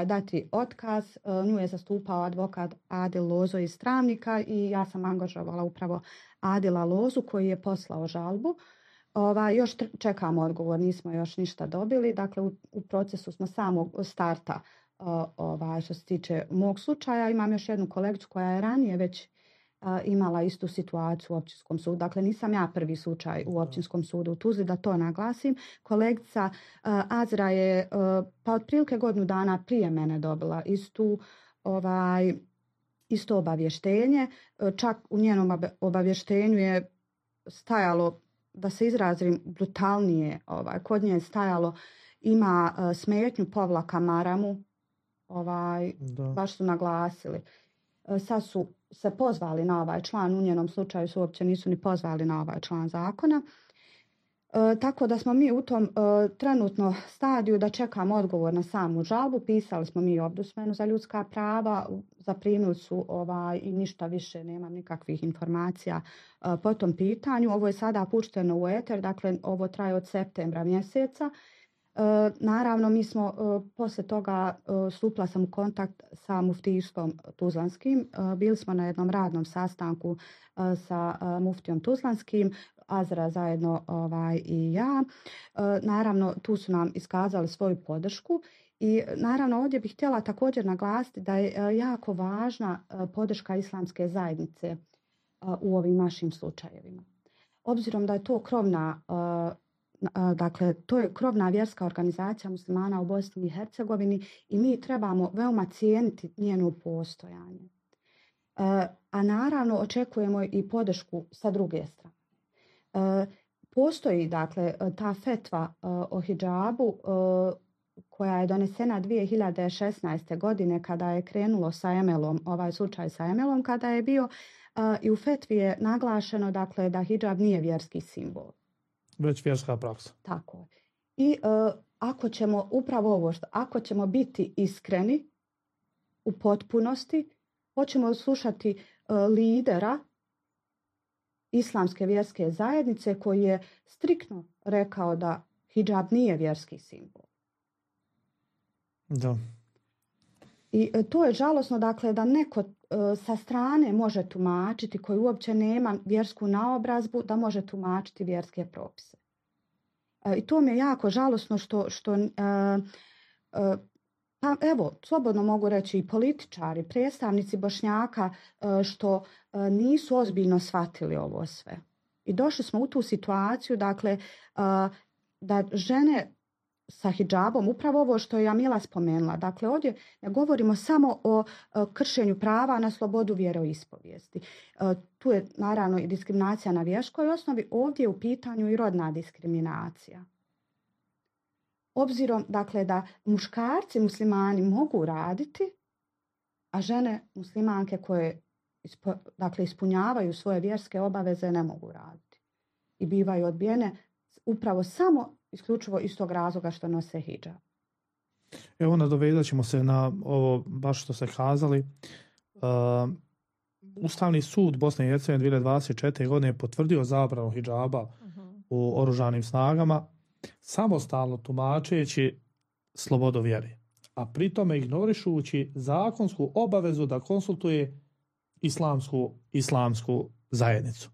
dati otkaz. Nju je zastupao advokat Adil Lozo iz Travnika i ja sam angažovala upravo Adila Lozu koji je poslao žalbu. Još čekamo odgovor, nismo još ništa dobili. Dakle, u procesu smo samog starta što se tiče mog slučaja. Imam još jednu kolegicu koja je ranije već imala istu situaciju u općinskom sudu. Dakle, nisam ja prvi slučaj u općinskom sudu u Tuzli, da to naglasim. Kolegica Azra je pa otprilike godinu dana prije mene dobila isto obavještenje. Čak u njenom obavještenju je stajalo, da se izrazim brutalnije, kod nje je stajalo ima smetnju povlaka maramu, baš su naglasili. Sad su se pozvali na ovaj član, u njenom slučaju su uopće nisu ni pozvali na ovaj član zakona. Tako da smo mi u tom trenutno stadiju da čekamo odgovor na samu žalbu. Pisali smo mi Ombudsmenu za ljudska prava, zaprimili su i ništa više, nemam nikakvih informacija po tom pitanju. Ovo je sada pušteno u eter, dakle ovo traje od septembra mjeseca. Naravno, mi smo poslije toga stupila sam u kontakt sa muftijstvom Tuzlanskim. Bili smo na jednom radnom sastanku sa muftijom Tuzlanskim, Azra zajedno i ja. Naravno, tu su nam iskazali svoju podršku i naravno ovdje bih htjela također naglasiti da je jako važna podrška islamske zajednice u ovim našim slučajevima. obzirom da je to krovna dakle, to je krovna vjerska organizacija muslimana u Bosni i Hercegovini i mi trebamo veoma cijeniti njeno postojanje. A naravno očekujemo i podršku sa druge strane. Postoji dakle ta fetva o hidžabu koja je donesena 2016. godine kada je krenulo sa Emelom, ovaj slučaj sa Emelom kada je bio i u fetvi je naglašeno dakle da hidžab nije vjerski simbol. Već vjerska praksa. Tako. I ako ćemo upravo ovo ako ćemo biti iskreni u potpunosti, hoćemo slušati lidera islamske vjerske zajednice koji je striktno rekao da hidžab nije vjerski simbol. Da. I to je žalosno dakle da neko sa strane može tumačiti koji uopće nema vjersku naobrazbu da može tumačiti vjerske propise. I to mi je jako žalosno što pa evo, slobodno mogu reći i političari, predstavnici Bošnjaka što nisu ozbiljno shvatili ovo sve. I došli smo u tu situaciju dakle da žene sa hidžabom, upravo ovo što je Jamila spomenula. Dakle, ovdje ne govorimo samo o kršenju prava na slobodu vjeroispovijesti. Tu je naravno i diskriminacija na vjerskoj osnovi, ovdje je u pitanju i rodna diskriminacija. Obzirom, dakle, da muškarci muslimani mogu raditi, a žene muslimanke koje dakle, ispunjavaju svoje vjerske obaveze ne mogu raditi. I bivaju odbijene upravo samo isključivo iz tog razloga što nose hidžab. Evo, nadovezat ćemo se na ovo baš što ste kazali. Ustavni sud Bosne i Hercegovine 2024. godine je potvrdio zabranu hidžaba u oružanim snagama, samostalno tumačeći slobodu vjere, a pritome ignorišući zakonsku obavezu da konsultuje islamsku zajednicu.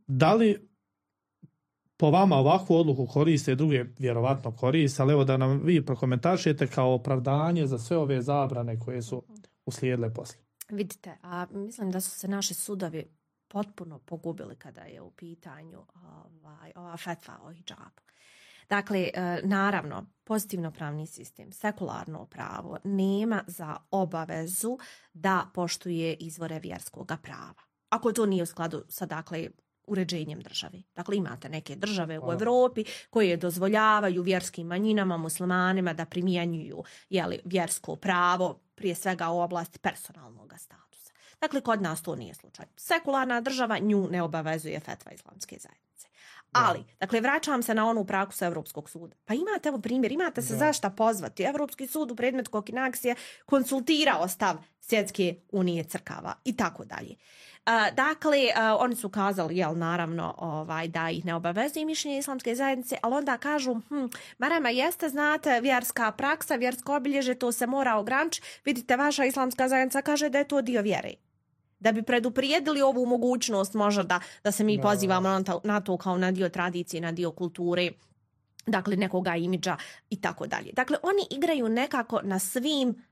Da li po vama ovakvu odluku koriste, druge vjerovatno koriste, ali evo da nam vi prokomentarišete kao opravdanje za sve ove zabrane koje su uslijedile poslije. Vidite, a mislim da su se naši sudovi potpuno pogubili kada je u pitanju ova fetva o hidžabu. Dakle, naravno, pozitivno pravni sistem, sekularno pravo nema za obavezu da poštuje izvore vjerskog prava. Ako to nije u skladu sa, dakle, uređenjem države. Dakle, imate neke države u Europi koje dozvoljavaju vjerskim manjinama, muslimanima da primjenjuju vjersko pravo, prije svega u oblasti personalnog statusa. Dakle, kod nas to nije slučaj. Sekularna država nju ne obavezuje fetva islamske zajednice. Ali, dakle, vraćam se na onu praksu Evropskog suda. Pa imate, evo primjer, imate se zašto pozvati. Evropski sud u predmetu Kokinax je konsultirao stav Svjetske unije crkava i tako dalje. Dakle, oni su kazali, naravno, da ih ne obavezuje mišljenje islamske zajednice, ali onda kažu, marama jeste, znate, vjerska praksa, vjersko obilježje, to se mora ograničiti. Vidite, vaša islamska zajednica kaže da je to dio vjere. Da bi preduprijedili ovu mogućnost možda da se mi pozivamo na to kao na dio tradicije, na dio kulture, dakle nekoga imidža i tako dalje. Dakle, oni igraju nekako na svim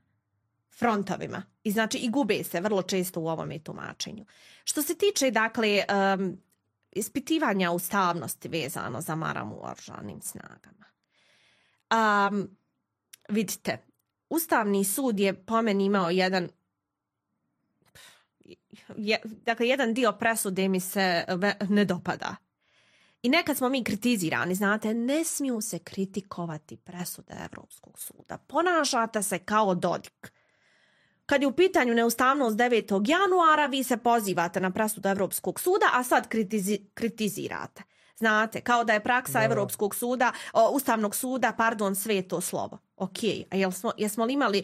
frontovima i znači i gube se vrlo često u ovome tumačenju. Što se tiče, dakle, ispitivanja ustavnosti vezano za maramu u oružanim snagama. Vidite, Ustavni sud je po meni imao jedan dio presude mi se ne dopada. I nekad smo mi kritizirani, znate, ne smiju se kritikovati presude Evropskog suda. Ponašate se kao Dodik. Kad je u pitanju neustavnost 9. januara, vi se pozivate na presudu Evropskog suda, a sad kritizirate. Znate, kao da je praksa Evropskog suda, Ustavnog suda, sveto slovo. Ok, a jesmo li imali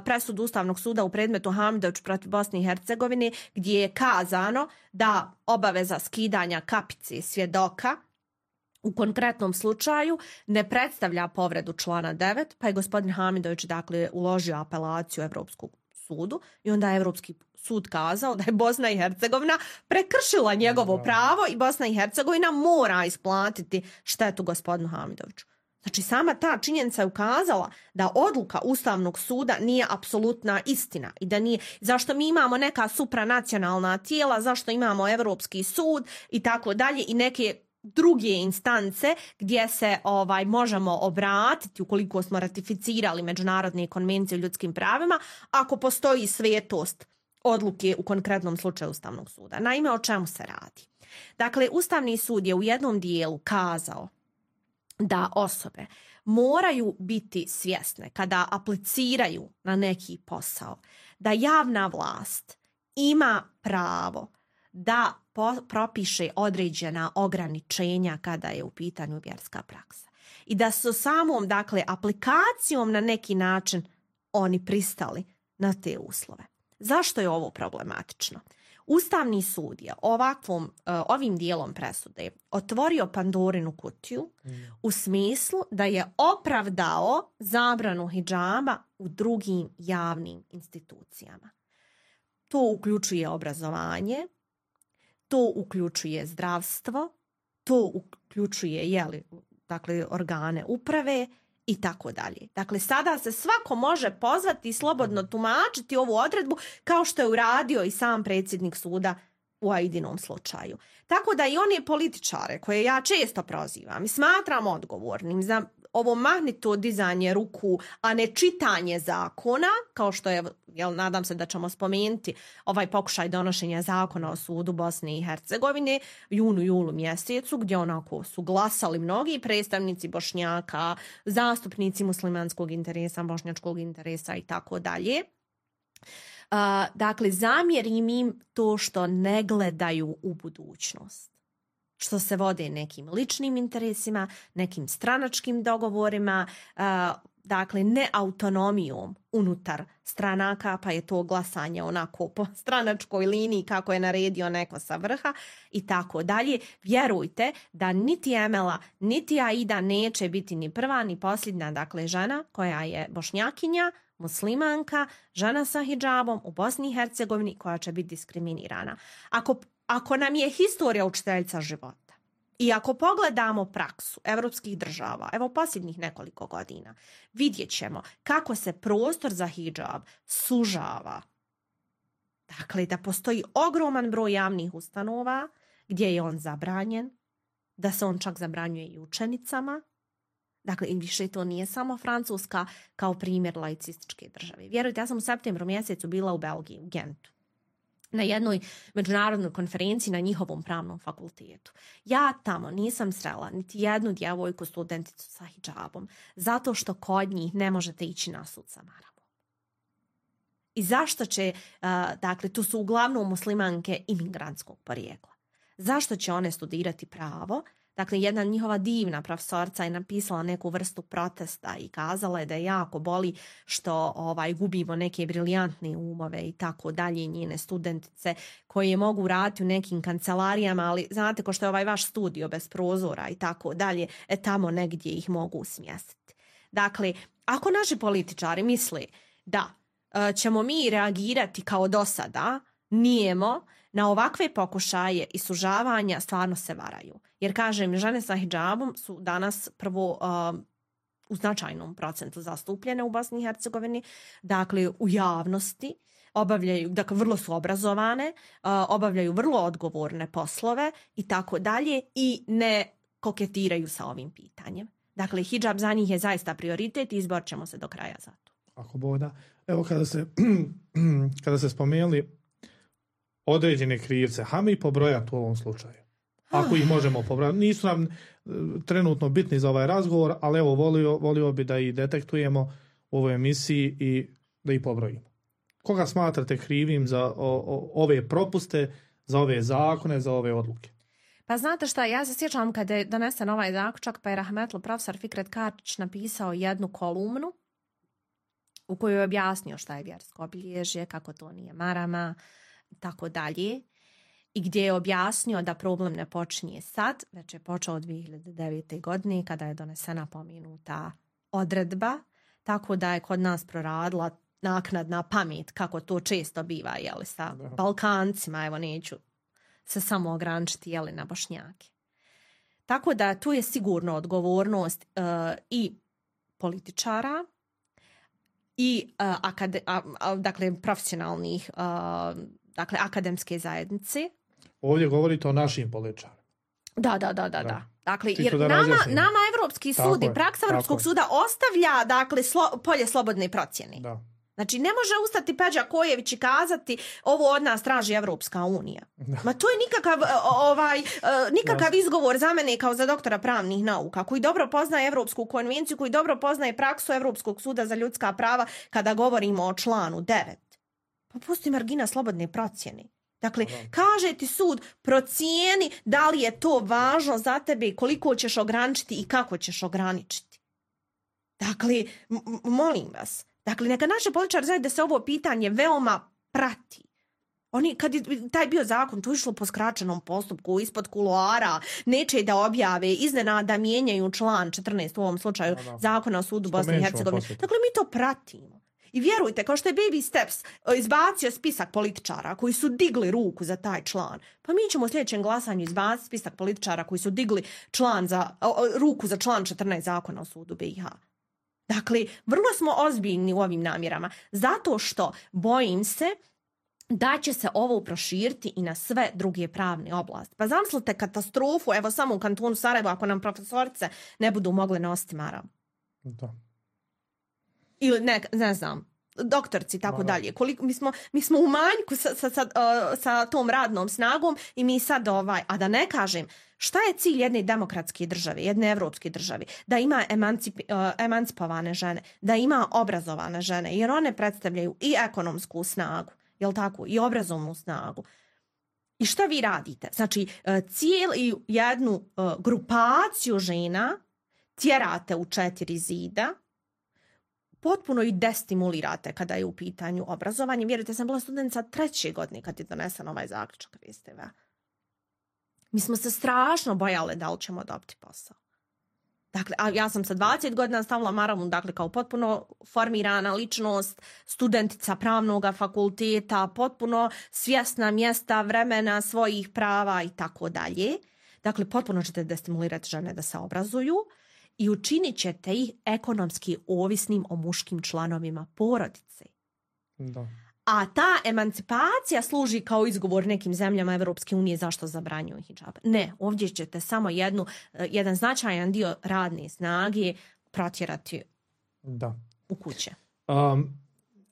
presudu Ustavnog suda u predmetu Hamidović protiv Bosne i Hercegovine gdje je kazano da obaveza skidanja kapice svjedoka u konkretnom slučaju ne predstavlja povredu člana 9, pa je gospodin Hamidović dakle uložio apelaciju Evropskog sudu i onda je Evropski sud kazao da je Bosna i Hercegovina prekršila njegovo pravo i Bosna i Hercegovina mora isplatiti štetu gospodinu Hamidoviću. Znači, sama ta činjenica je ukazala da odluka Ustavnog suda nije apsolutna istina i da nije, zašto mi imamo neka supranacionalna tijela, zašto imamo Europski sud i tako dalje i neke druge instance gdje se možemo obratiti ukoliko smo ratificirali međunarodne konvencije o ljudskim pravima ako postoji svetost odluke u konkretnom slučaju Ustavnog suda. Naime, o čemu se radi? Dakle, Ustavni sud je u jednom dijelu kazao da osobe moraju biti svjesne kada apliciraju na neki posao, da javna vlast ima pravo da propiše određena ograničenja kada je u pitanju vjerska praksa. I da su samom, dakle, aplikacijom na neki način oni pristali na te uslove. Zašto je ovo problematično? Ustavni sud je ovim dijelom presude otvorio Pandorinu kutiju u smislu da je opravdao zabranu hidžaba u drugim javnim institucijama. To uključuje obrazovanje, to uključuje zdravstvo, to uključuje organe uprave i tako dalje. Dakle, sada se svako može pozvati i slobodno tumačiti ovu odredbu kao što je uradio i sam predsjednik suda u Aidinom slučaju. Tako da i oni političare koje ja često prozivam i smatram odgovornim za ovo mahnito dizanje ruku, a ne čitanje zakona, kao što je, nadam se da ćemo spomenuti ovaj pokušaj donošenja zakona o sudu Bosne i Hercegovine julu mjesecu, gdje onako su glasali mnogi predstavnici Bošnjaka, zastupnici muslimanskog interesa, bošnjačkog interesa i tako dalje. Dakle, zamjerim im to što ne gledaju u budućnost, što se vode nekim ličnim interesima, nekim stranačkim dogovorima, dakle ne autonomijom unutar stranaka, pa je to glasanje onako po stranačkoj liniji kako je naredio neko sa vrha i tako dalje. Vjerujte da niti Emela, niti Aida neće biti ni prva ni posljednja, dakle žena koja je Bošnjakinja, muslimanka, žena sa hidžabom u Bosni i Hercegovini koja će biti diskriminirana. Ako nam je historija učiteljica života i ako pogledamo praksu evropskih država, evo posljednjih nekoliko godina, vidjet ćemo kako se prostor za hidžab sužava. Dakle, da postoji ogroman broj javnih ustanova gdje je on zabranjen, da se on čak zabranjuje i učenicama. Dakle, i više to nije samo Francuska kao primjer laicističke države. Vjerujte, ja sam u septembru mjesecu bila u Belgiji, u Gentu, na jednoj međunarodnoj konferenciji na njihovom pravnom fakultetu. Ja tamo nisam srela niti jednu djevojku studenticu sa hidžabom, zato što kod njih ne možete ići na sud sa maramom. I zašto će, dakle, tu su uglavnom muslimanke imigrantskog porijekla. Zašto će one studirati pravo? Dakle, jedna njihova divna profesorca je napisala neku vrstu protesta i kazala je da je jako boli što gubimo neke briljantne umove i tako dalje, njene studentice koje mogu raditi u nekim kancelarijama, ali znate ko što je ovaj vaš studio bez prozora i tako dalje, tamo negdje ih mogu smjestiti. Dakle, ako naši političari misle da ćemo mi reagirati kao do sada, nijemo, na ovakve pokušaje i sužavanja stvarno se varaju. Jer, kažem, žene sa hidžabom su danas prvo u značajnom procentu zastupljene u Bosni i Hercegovini, dakle u javnosti, obavljaju, dakle vrlo su obrazovane, obavljaju vrlo odgovorne poslove i tako dalje i ne koketiraju sa ovim pitanjem. Dakle, hidžab za njih je zaista prioritet i izborit ćemo se do kraja za to. Ako boda. Evo kada se spomenuli određene krivce, hajmo ih pobrojati u ovom slučaju. Ako ih možemo pobrojati. Nisu nam trenutno bitni za ovaj razgovor, ali evo volio bi da ih detektujemo u ovoj emisiji i da ih pobrojimo. Koga smatrate krivim za ove propuste, za ove zakone, za ove odluke? Pa znate šta, ja se sjećam kada je donesen ovaj zaključak, pa je rahmetli profesor Fikret Karčić napisao jednu kolumnu u kojoj je objasnio šta je vjersko obilježje, kako to nije marama, tako dalje, i gdje je objasnio da problem ne počinje sad, već je počeo od 2009. godine kada je donesena pomenuta odredba, tako da je kod nas proradila naknadna pamet, kako to često biva, sa Balkancima, evo neću se samo ograničiti, na Bošnjake. Tako da tu je sigurno odgovornost i političara i dakle profesionalnih dakle akademske zajednice. Ovdje govorite o našim političarima. Da. Dakle, jer nama Evropski sud i praksa Evropskog suda ostavlja dakle polje slobodne procjene. Da. Znači, ne može ustati Peđa Kojević i kazati ovo od nas traži Evropska unija. Ma to je nikakav izgovor za mene kao za doktora pravnih nauka, koji dobro poznaje Evropsku konvenciju, koji dobro poznaje praksu Evropskog suda za ljudska prava kada govorimo o članu 9. Pa postoji margina slobodne procjene. Dakle, kaže ti sud, procijeni da li je to važno za tebe, koliko ćeš ograničiti i kako ćeš ograničiti. Dakle, molim vas, dakle, neka naši političari znaju da se ovo pitanje veoma prati. Oni, kad je taj bio zakon, to je išlo po skraćenom postupku, ispod kuloara, neće da objave, iznenada mijenjaju član 14 u ovom slučaju zakona o sudu Bosne i Hercegovine. Dakle, mi to pratimo. I vjerujte, kao što je Baby Steps izbacio spisak političara koji su digli ruku za taj član, pa mi ćemo u sljedećem glasanju izbaciti spisak političara koji su digli ruku za član 14 zakona o sudu BiH. Dakle, vrlo smo ozbiljni u ovim namjerama, zato što bojim se da će se ovo proširiti i na sve druge pravne oblasti. Pa zamislite katastrofu, evo samo u kantonu Sarajevo, ako nam profesorice ne budu mogle nositi maramu. Da. Ili ne znam, doktorci i tako dalje. Mi smo u manjku sa tom radnom snagom i mi sad a da ne kažem, šta je cilj jedne demokratske države, jedne evropske države? Da ima emancipovane žene, da ima obrazovane žene, jer one predstavljaju i ekonomsku snagu, jel tako, i obrazovnu snagu. I šta vi radite? Znači, cijelu jednu grupaciju žena tjerate u 4 zida, potpuno i destimulirate kada je u pitanju obrazovanje. Vjerujte, sam bila studentica 3. godine kad je donesen ovaj zaključak RIS-TV. Mi smo se strašno bojale da li ćemo dobiti posao. Dakle, a ja sam sa 20 godina stavila maramu, dakle, kao potpuno formirana ličnost, studentica pravnog fakulteta, potpuno svjesna mjesta, vremena, svojih prava i tako dalje. Dakle, potpuno ćete destimulirati žene da se obrazuju i učinit ćete ih ekonomski ovisnim o muškim članovima porodice. Da. A ta emancipacija služi kao izgovor nekim zemljama Evropske unije zašto zabranjuju hidžab. Ne, ovdje ćete samo jedan značajan dio radne snage protjerati u kuće.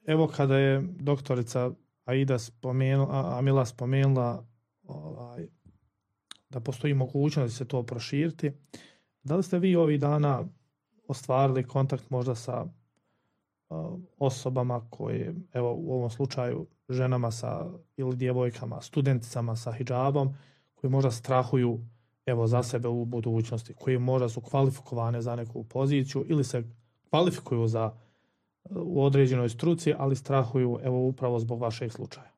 Evo kada je doktorica Amila spomenula da postoji mogućnost da se to proširiti, da li ste vi ovih dana ostvarili kontakt možda sa osobama koje, evo u ovom slučaju ženama ili djevojkama, studenticama sa hidžabom, koji možda strahuju evo za sebe u budućnosti, koji možda su kvalifikovane za neku poziciju ili se kvalifikuju u određenoj struci, ali strahuju evo upravo zbog vašeg slučaja?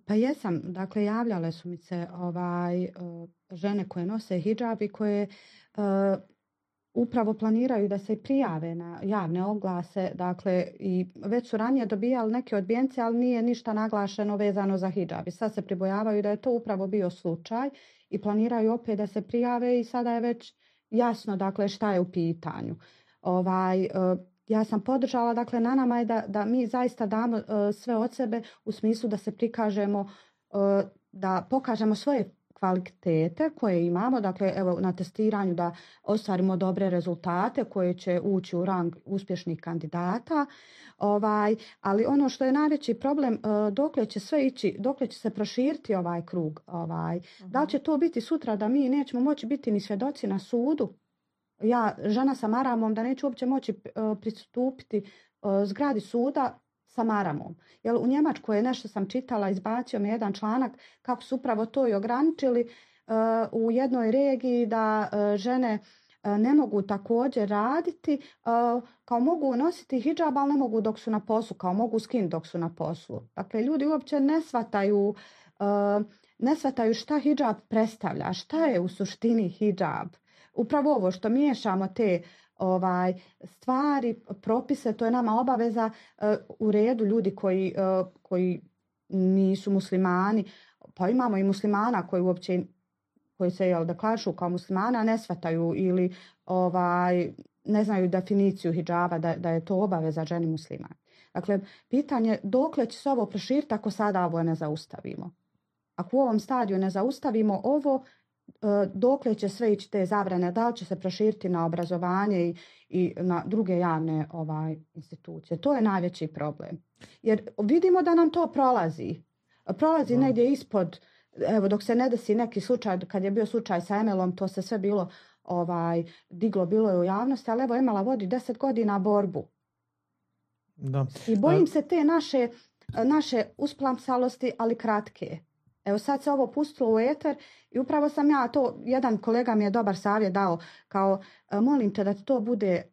Pa jesam, dakle javljale su mi se žene koje nose hidžab i koje upravo planiraju da se prijave na javne oglase, dakle i već su ranije dobijali neke odbijence, ali nije ništa naglašeno vezano za hidžab. I sad se pribojavaju da je to upravo bio slučaj i planiraju opet da se prijave i sada je već jasno, dakle, šta je u pitanju. Ja sam podržala, dakle, na nama je da mi zaista damo sve od sebe u smislu da se prikažemo, da pokažemo svoje kvalitete koje imamo, dakle evo na testiranju da ostvarimo dobre rezultate koje će ući u rang uspješnih kandidata, ali ono što je najveći problem, dokle će sve ići, dokle će se proširiti ovaj krug, da li će to biti sutra da mi nećemo moći biti ni svjedoci na sudu, ja žena sa maramom da neću uopće moći pristupiti zgradi suda sa maramom. Jer u Njemačkoj je nešto sam čitala, izbacio mi jedan članak kako su upravo to i ograničili u jednoj regiji da žene ne mogu također raditi, kao mogu nositi hidžab, ali ne mogu dok su na poslu, kao mogu skinuti dok su na poslu. Dakle, ljudi uopće ne shvataju šta hidžab predstavlja, šta je u suštini hidžab. Upravo ovo što miješamo te stvari, propise, to je nama obaveza u redu ljudi koji nisu muslimani, pa imamo i muslimana koji uopće koji se deklarišu kao muslimana ne shvataju ili ne znaju definiciju hidžaba da je to obaveza ženi muslimana. Dakle, pitanje dokle će se ovo proširiti ako sada ovo ne zaustavimo. Ako u ovom stadiju ne zaustavimo ovo, dokle će sve ići te zabrane, da li će se proširiti na obrazovanje i na druge javne institucije. To je najveći problem. Jer vidimo da nam to prolazi. Prolazi negdje ispod, evo dok se ne desi neki slučaj, kad je bio slučaj sa Emelom, to se sve bilo diglo, bilo je u javnosti, ali evo Emela vodi 10 godina borbu. Da. I bojim se te naše usplamsalosti, ali kratke. Evo sad se ovo pustilo u eter i upravo sam ja to, jedan kolega mi je dobar savjet dao, kao molim te da to bude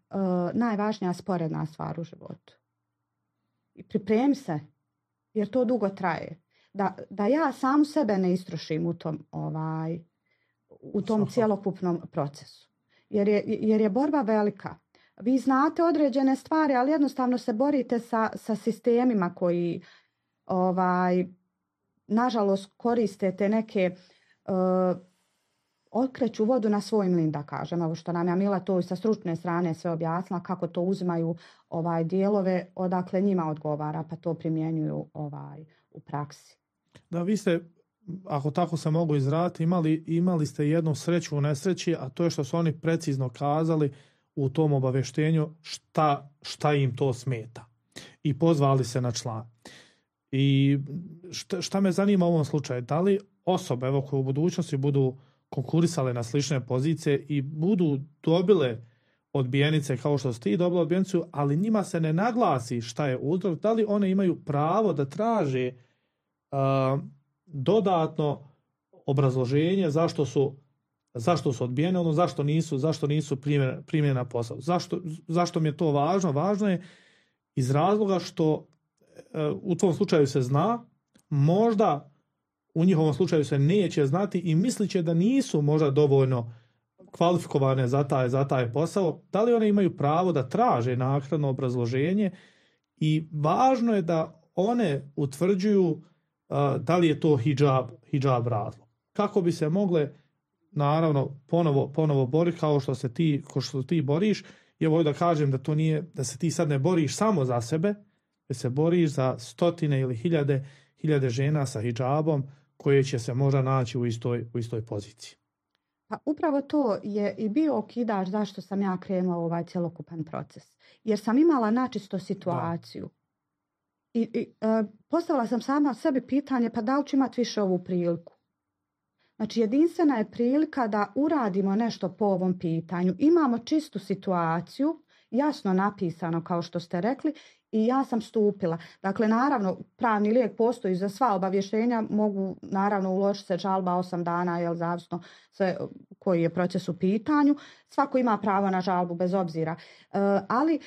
najvažnija sporedna stvar u životu. I pripremi se, jer to dugo traje. Da ja sam sebe ne istrošim u tom cjelokupnom procesu. Jer je borba velika. Vi znate određene stvari, ali jednostavno se borite sa sistemima koji nažalost koriste te neke okreću vodu na svoj mlin, da kažem. Evo što nam je Mila to i sa stručne strane sve objasnila, kako to uzimaju dijelove, odakle njima odgovara, pa to primjenjuju u praksi. Da, vi ste, ako tako se mogu izraditi, imali ste jednu sreću u nesreći, a to je što su oni precizno kazali u tom obavještenju šta im to smeta. I pozvali se na član. I šta me zanima u ovom slučaju, da li osobe koje u budućnosti budu konkurisale na slične pozicije i budu dobile odbijenice kao što ste ti dobila odbijenicu, ali njima se ne naglasi šta je uzrok, da li one imaju pravo da traže dodatno obrazloženje zašto su odbijene, zašto nisu primljene na posao. Zašto mi je to važno? Važno je iz razloga što u tom slučaju se zna, možda u njihovom slučaju se neće znati i mislit će da nisu možda dovoljno kvalifikovane za taj posao. Da li one imaju pravo da traže naknadno obrazloženje i važno je da one utvrđuju da li je to hidžab razlog. Kako bi se mogle naravno ponovo boriti kao što ti boriš. I evo da kažem da to nije, da se ti sad ne boriš samo za sebe, da se boriš za stotine ili hiljade žena sa hidžabom koje će se možda naći u istoj poziciji. Pa upravo to je i bio okidač zašto sam ja krenula u ovaj cjelokupan proces. Jer sam imala načisto situaciju. I postavila sam sama sebi pitanje, pa da li ću imati više ovu priliku? Znači, jedinstvena je prilika da uradimo nešto po ovom pitanju. Imamo čistu situaciju, jasno napisano kao što ste rekli, i ja sam stupila. Dakle, naravno, pravni lijek postoji za sva obavještenja, mogu naravno uložiti se žalba 8 dana, jel zavisno sve koji je proces u pitanju. Svako ima pravo na žalbu bez obzira. Ali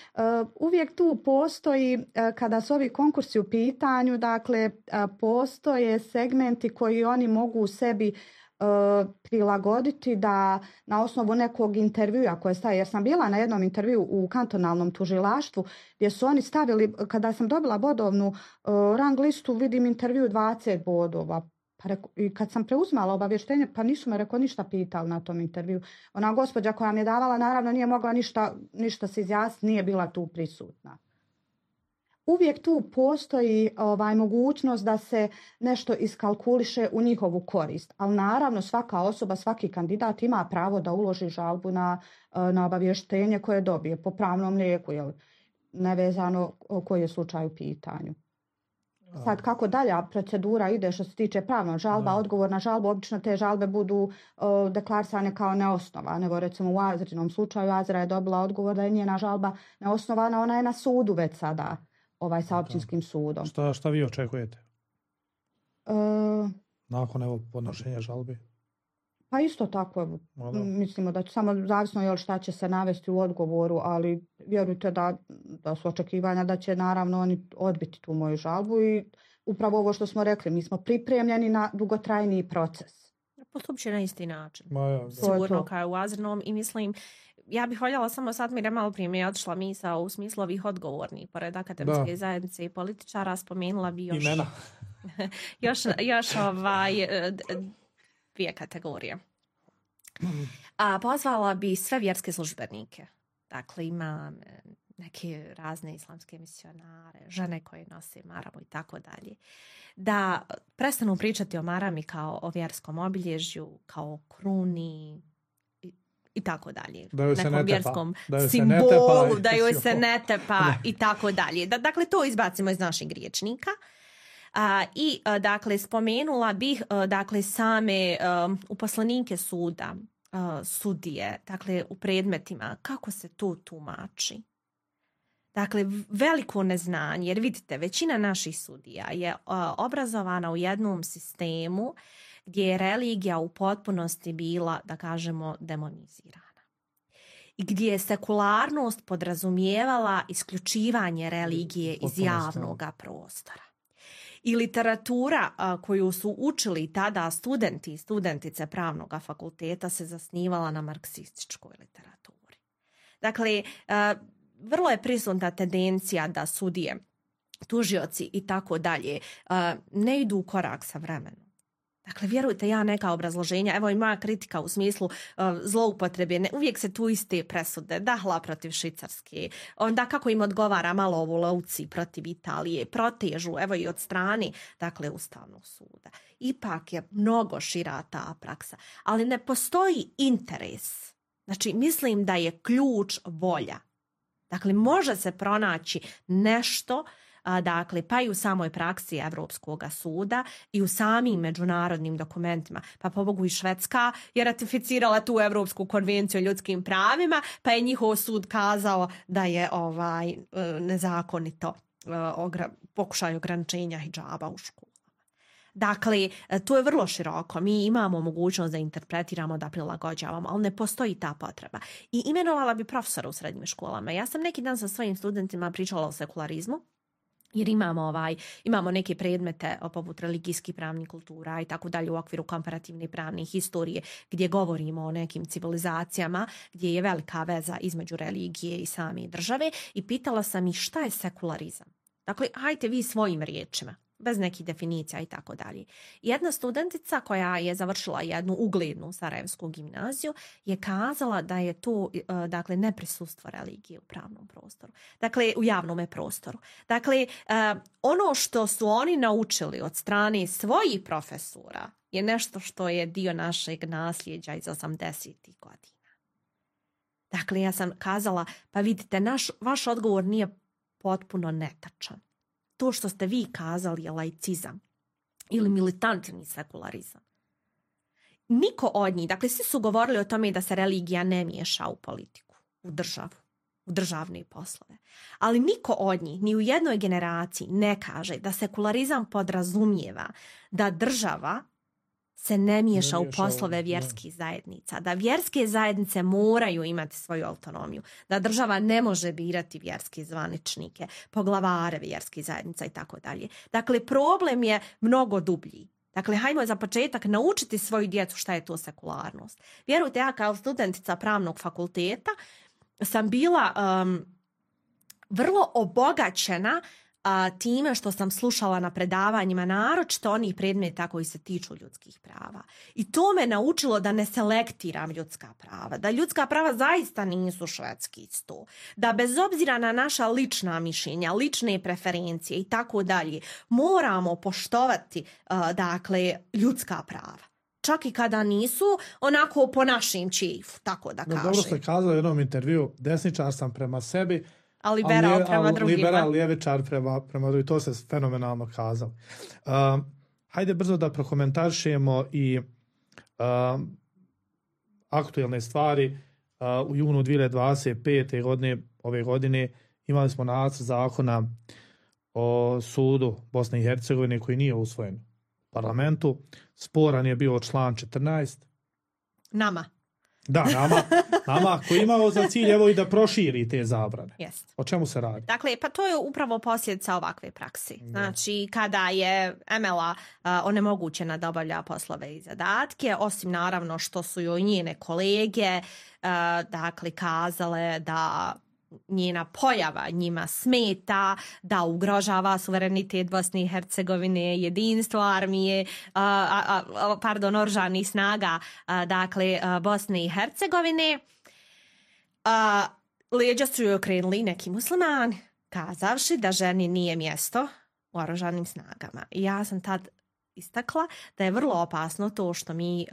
uvijek tu postoji, kada su ovi konkursi u pitanju, dakle, postoje segmenti koji oni mogu u sebi prilagoditi da na osnovu nekog intervjua koje staje, jer sam bila na jednom intervju u kantonalnom tužilaštvu gdje su oni stavili, kada sam dobila bodovnu rang listu, vidim intervju 20 bodova. I kad sam preuzmala obavještenje, pa nisu me ništa pitali na tom intervju. Ona gospođa koja mi je davala, naravno nije mogla ništa se izjasniti, nije bila tu prisutna. Uvijek tu postoji mogućnost da se nešto iskalkuliše u njihovu korist. Ali naravno svaka osoba, svaki kandidat ima pravo da uloži žalbu na obavještenje koje dobije po pravnom lijeku, nevezano koji je slučaj u pitanju. Sad kako dalja procedura ide što se tiče pravnog žalba, odgovor na žalbu, obično te žalbe budu deklarisane kao neosnovane. Evo recimo u Azrinom slučaju Azra je dobila odgovor da je njena žalba neosnovana, ona je na sudu već sada. Sa općinskim sudom. Šta vi očekujete? Nakon podnošenja žalbe? Pa isto tako, mislimo da će samo zavisno šta će se navesti u odgovoru, ali vjerujte da su očekivanja da će naravno oni odbiti tu moju žalbu i upravo ovo što smo rekli, mi smo pripremljeni na dugotrajniji proces. Postupit će na isti način. Sigurno kao u Azrinom i mislim, ja bih voljela samo sad mi malo prije mi je otišla misao u smislu ovih odgovornih pored akademske zajednice i političara, spomenula bi još imena. još dvije kategorije. Pozvala bi sve vjerske službenike. Dakle, ima neke razne islamske misionare, žene koje nose maramu i tako dalje, da prestanu pričati o marami kao o vjerskom obilježju, kao o kruni i tako dalje. Da joj se nekom ne tepa. vjerskom Da joj se simbolu, ne tepa. da joj se ne tepa i tako dalje. Dakle, to izbacimo iz naših riječnika. Dakle, spomenula bih dakle, same uposlenike suda, sudije, dakle, u predmetima, kako se to tumači. Dakle, veliko neznanje, jer vidite, većina naših sudija je obrazovana u jednom sistemu gdje je religija u potpunosti bila, da kažemo, demonizirana. I gdje je sekularnost podrazumijevala isključivanje religije iz javnog prostora. I literatura koju su učili tada studenti i studentice pravnog fakulteta se zasnivala na marksističkoj literaturi. Dakle, vrlo je prisutna tendencija da sudije, tužioci i tako dalje ne idu u korak sa vremenom. Dakle, vjerujte, ja neka obrazloženja, evo i moja kritika u smislu zloupotrebe, uvijek se tu iste presude, Dahla protiv Švicarske, onda kako im odgovara malo ovo lovci protiv Italije, protežu, evo i od strane, dakle, Ustavnog suda. Ipak je mnogo šira ta praksa, ali ne postoji interes. Znači, mislim da je ključ volja. Dakle, može se pronaći nešto, dakle, pa i u samoj praksi Evropskog suda i u samim međunarodnim dokumentima. Pa pobogu i Švedska je ratificirala tu Evropsku konvenciju o ljudskim pravima, pa je njihov sud kazao da je nezakonito pokušaj ograničenja hidžaba u školu. Dakle, to je vrlo široko. Mi imamo mogućnost da interpretiramo, da prilagođavamo, ali ne postoji ta potreba. I imenovala bi profesora u srednjim školama. Ja sam neki dan sa svojim studentima pričala o sekularizmu, jer imamo neke predmete poput religijskih pravnih kultura i tako dalje u okviru komparativne pravne historije gdje govorimo o nekim civilizacijama gdje je velika veza između religije i same države i pitala sam ih šta je sekularizam. Dakle, hajte vi svojim riječima, bez nekih definicija i tako dalje. Jedna studentica koja je završila jednu uglednu sarajevsku gimnaziju je kazala da je to, dakle, neprisustvo religije u pravnom prostoru. Dakle, u javnom prostoru. Dakle, ono što su oni naučili od strane svojih profesora je nešto što je dio našeg nasljeđa iz 80-ih godina. Dakle, ja sam kazala, pa vidite, vaš odgovor nije potpuno netačan. To što ste vi kazali je laicizam ili militantni sekularizam. Niko od njih, dakle svi su govorili o tome da se religija ne miješa u politiku, u državu, u državne poslove. Ali niko od njih, ni u jednoj generaciji ne kaže da sekularizam podrazumijeva da država se ne miješa u poslove vjerskih zajednica, da vjerske zajednice moraju imati svoju autonomiju, da država ne može birati vjerske zvaničnike, poglavare vjerskih zajednica i tako dalje. Dakle, problem je mnogo dublji. Dakle, hajmo za početak naučiti svoju djecu šta je to sekularnost. Vjerujte, ja kao studentica pravnog fakulteta sam bila vrlo obogaćena time što sam slušala na predavanjima naročito onih predmeta koji se tiču ljudskih prava. I to me naučilo da ne selektiram ljudska prava, da ljudska prava zaista nisu švedski sto, da bez obzira na naša lična mišljenja, lične preferencije i tako dalje, moramo poštovati dakle, ljudska prava. Čak i kada nisu onako po našim čifu, tako da kažem. Dobro ste kazali u jednom intervju, desničar sam prema sebi, a liberal prema drugima. Liberal, ljevičar prema drugima. To se fenomenalno kazalo. Hajde brzo da prokomentarišemo i aktuelne stvari. U junu 2025. godine, ove godine, imali smo nacrt zakona o sudu Bosne i Hercegovine koji nije usvojen u parlamentu. Sporan je bio član 14. Nama. Da, nama koji imao za cilj evo i da proširi te zabrane. Yes. O čemu se radi? Dakle, pa to je upravo posljedica ovakve praksi. Znači, kada je ML-a onemogućena da obavlja poslove i zadatke, osim naravno što su joj njene kolege dakle, kazale da njena pojava njima smeta, da ugrožava suverenitet Bosne i Hercegovine, jedinstvo armije, oružanih snaga, dakle, Bosne i Hercegovine. Leđa su joj okrenuli neki muslimani, kazavši da ženi nije mjesto u oružanim snagama. I ja sam tad istakla da je vrlo opasno to što mi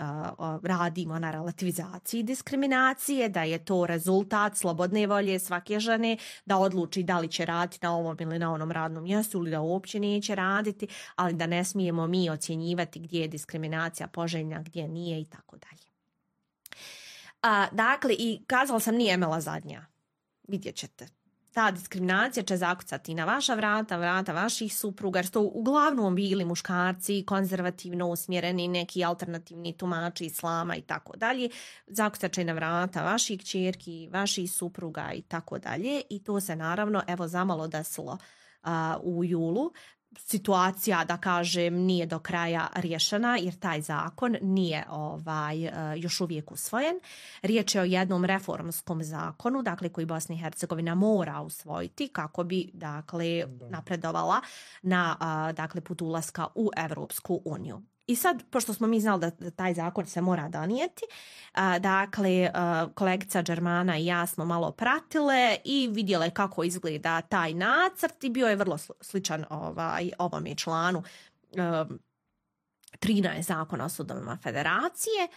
radimo na relativizaciji diskriminacije, da je to rezultat slobodne volje svake žene da odluči da li će raditi na ovom ili na onom radnom mjestu ili da uopće neće raditi, ali da ne smijemo mi ocjenjivati gdje je diskriminacija poželjna, gdje nije i tako dalje. Dakle, i kazala sam nije Emela zadnja. Vidjet ćete. Ta diskriminacija će zakucati na vaša vrata vaših supruga, jer su to uglavnom bili muškarci, konzervativno usmjereni, neki alternativni tumači islama i tako dalje. Zakucat će na vrata vaših kćerki, vaših supruga i tako dalje. I to se naravno evo zamalo desilo u julu. Situacija, da kažem, nije do kraja riješena jer taj zakon nije još uvijek usvojen. Riječ je o jednom reformskom zakonu, dakle, koji Bosna i Hercegovina mora usvojiti kako bi, dakle, napredovala na put ulaska u Evropsku uniju. I sad, pošto smo mi znali da taj zakon se mora donijeti, kolegica Đermana i ja smo malo pratile i vidjele kako izgleda taj nacrt i bio je vrlo sličan ovome članu 13 zakona o sudovima federacije,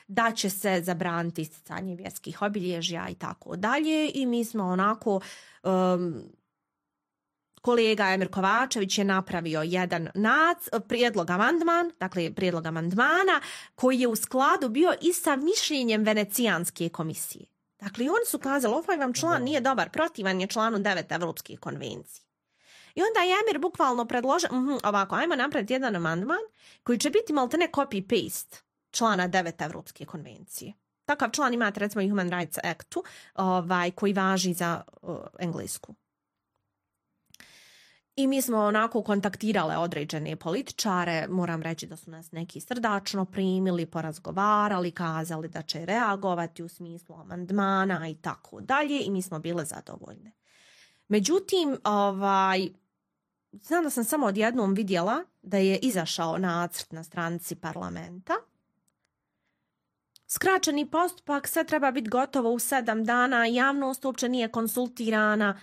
da će se zabraniti isticanje vjerskih obilježja i tako dalje. I mi smo onako... Kolega Emir Kovačević je napravio jedan prijedlog amandmana koji je u skladu bio i sa mišljenjem Venecijanske komisije. Dakle, oni su kazali, ovaj vam član nije dobar, protivan je članu 9 Evropske konvencije. I onda je Emir bukvalno predložio, ovako, ajmo napraviti jedan amandman koji će biti maltene copy-paste člana 9 Evropske konvencije. Takav član imate recimo i Human Rights Actu koji važi za Englesku. I mi smo onako kontaktirale određene političare, moram reći da su nas neki srdačno primili, porazgovarali, kazali da će reagovati u smislu amandmana i tako dalje i mi smo bile zadovoljne. Međutim, znam da sam samo odjednom vidjela da je izašao nacrt na stranici parlamenta. Skraćeni postupak, sve treba biti gotovo u 7 dana, javnost uopće nije konsultirana,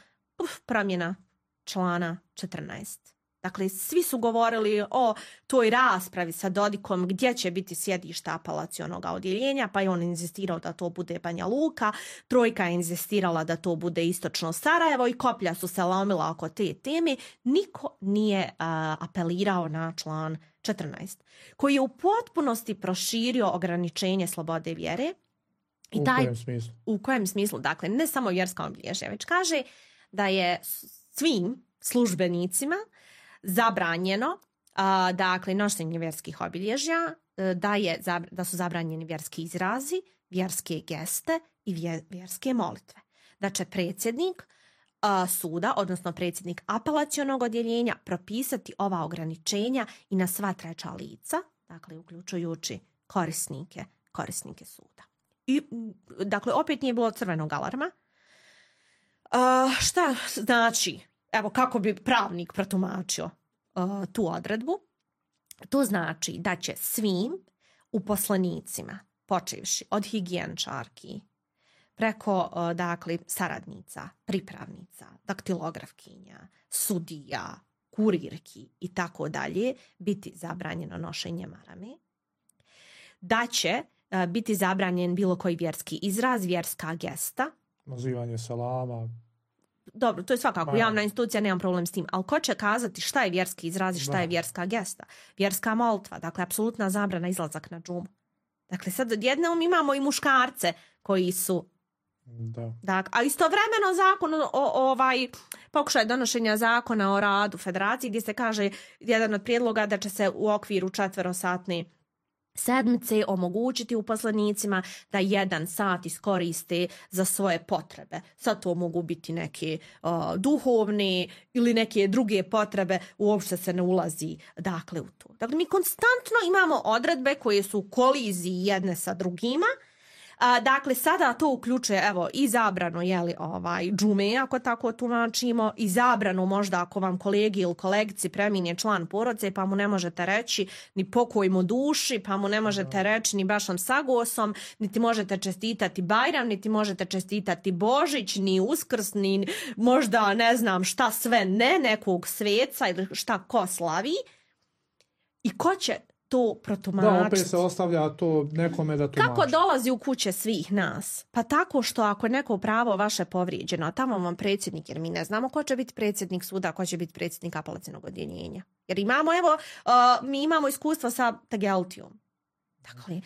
promjena člana 14. Dakle, svi su govorili o toj raspravi sa Dodikom gdje će biti sjedište apelacionog odjeljenja, pa je on inzistirao da to bude Banja Luka, Trojka je inzistirala da to bude istočno Sarajevo i koplja su se lomila oko te teme. Niko nije apelirao na član 14, koji je u potpunosti proširio ograničenje slobode vjere. U kojem smislu? U kojem smislu? Dakle, ne samo vjerska obilježja, već kaže da je svim službenicima zabranjeno nošenje vjerskih obilježja, da su zabranjeni vjerski izrazi, vjerske geste i vjerske molitve. Da će predsjednik suda, odnosno predsjednik apelacionog odjeljenja, propisati ova ograničenja i na sva treća lica, dakle uključujući korisnike suda. I, dakle, opet nije bilo crvenog alarma. Šta znači, evo kako bi pravnik protumačio tu odredbu? To znači da će svim uposlenicima, počevši od higijenčarki, preko saradnica, pripravnica, daktilografkinja, sudija, kurirki i tako dalje, biti zabranjeno nošenje marame. Da će biti zabranjen bilo koji vjerski izraz, vjerska gesta, nazivanje selama. Dobro, to je svakako javna institucija, nemam problem s tim, ali ko će kazati šta je vjerski izraz i šta je vjerska gesta? Vjerska molitva, dakle, apsolutna zabrana izlazak na džumu. Dakle, sad odjednom imamo i muškarce koji su... Da. Dakle, a istovremeno zakon pokušaj donošenja zakona o radu federaciji gdje se kaže jedan od prijedloga da će se u okviru 4-satne sedmice omogućiti uposlenicima da 1 sat iskoriste za svoje potrebe. Sad to mogu biti neke duhovne ili neke druge potrebe, uopšte se ne ulazi dakle u to. Dakle, mi konstantno imamo odredbe koje su u koliziji jedne sa drugima Dakle, sada to uključuje i zabranu džume, ako tako tumačimo, i zabranu možda ako vam kolegi ili kolegici premine član porodice, pa mu ne možete reći ni pokoj mu duši, pa mu ne možete reći ni bašom sagosom, niti možete čestitati Bajram, niti možete čestitati Božić, ni Uskrs, ni možda ne znam šta sve nekog sveca ili šta ko slavi. I ko će to protumačiti? Da, opet se ostavlja to nekome da tumači. Kako dolazi u kuće svih nas? Pa tako što ako je neko pravo vaše povrijeđeno, a tamo vam predsjednik, jer mi ne znamo ko će biti predsjednik suda, ko će biti predsjednik apelacionog odjeljenja. Jer imamo, mi imamo iskustva sa Tageltijom. Dakle,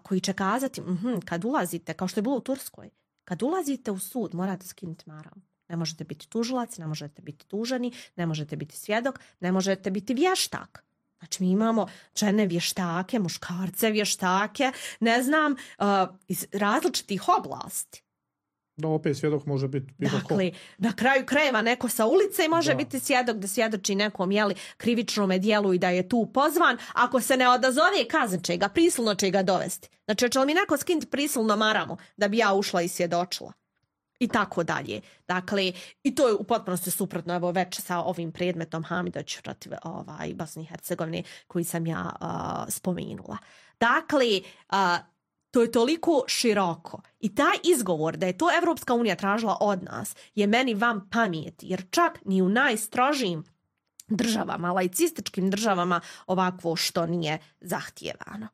koji će kazati, kad ulazite, kao što je bilo u Turskoj, kad ulazite u sud, morate skinuti maramu. Ne možete biti tužilac, ne možete biti tuženi, ne možete biti svjedok, ne možete biti vještak. Znači mi imamo žene vještake, muškarce vještake, ne znam, iz različitih oblasti. Da, opet svjedok može biti bilo ko. Dakle, na kraju krajeva neko sa ulice može biti svjedok da svjedoči nekom krivičnom djelu i da je tu pozvan. Ako se ne odazove, kaznit će ga, prisilno će ga dovesti. Znači, će li mi neko skinuti prisilno maramu da bi ja ušla i svjedočila? I tako dalje. Dakle, i to je u potpunosti suprotno već sa ovim predmetom Hamidović protiv Bosne i Hercegovine koji sam ja spomenula. Dakle, to je toliko široko. I taj izgovor da je to Evropska unija tražila od nas je meni vam pameti, jer čak ni u najstrožijim državama, laicističkim državama ovakvo što nije zahtijevano.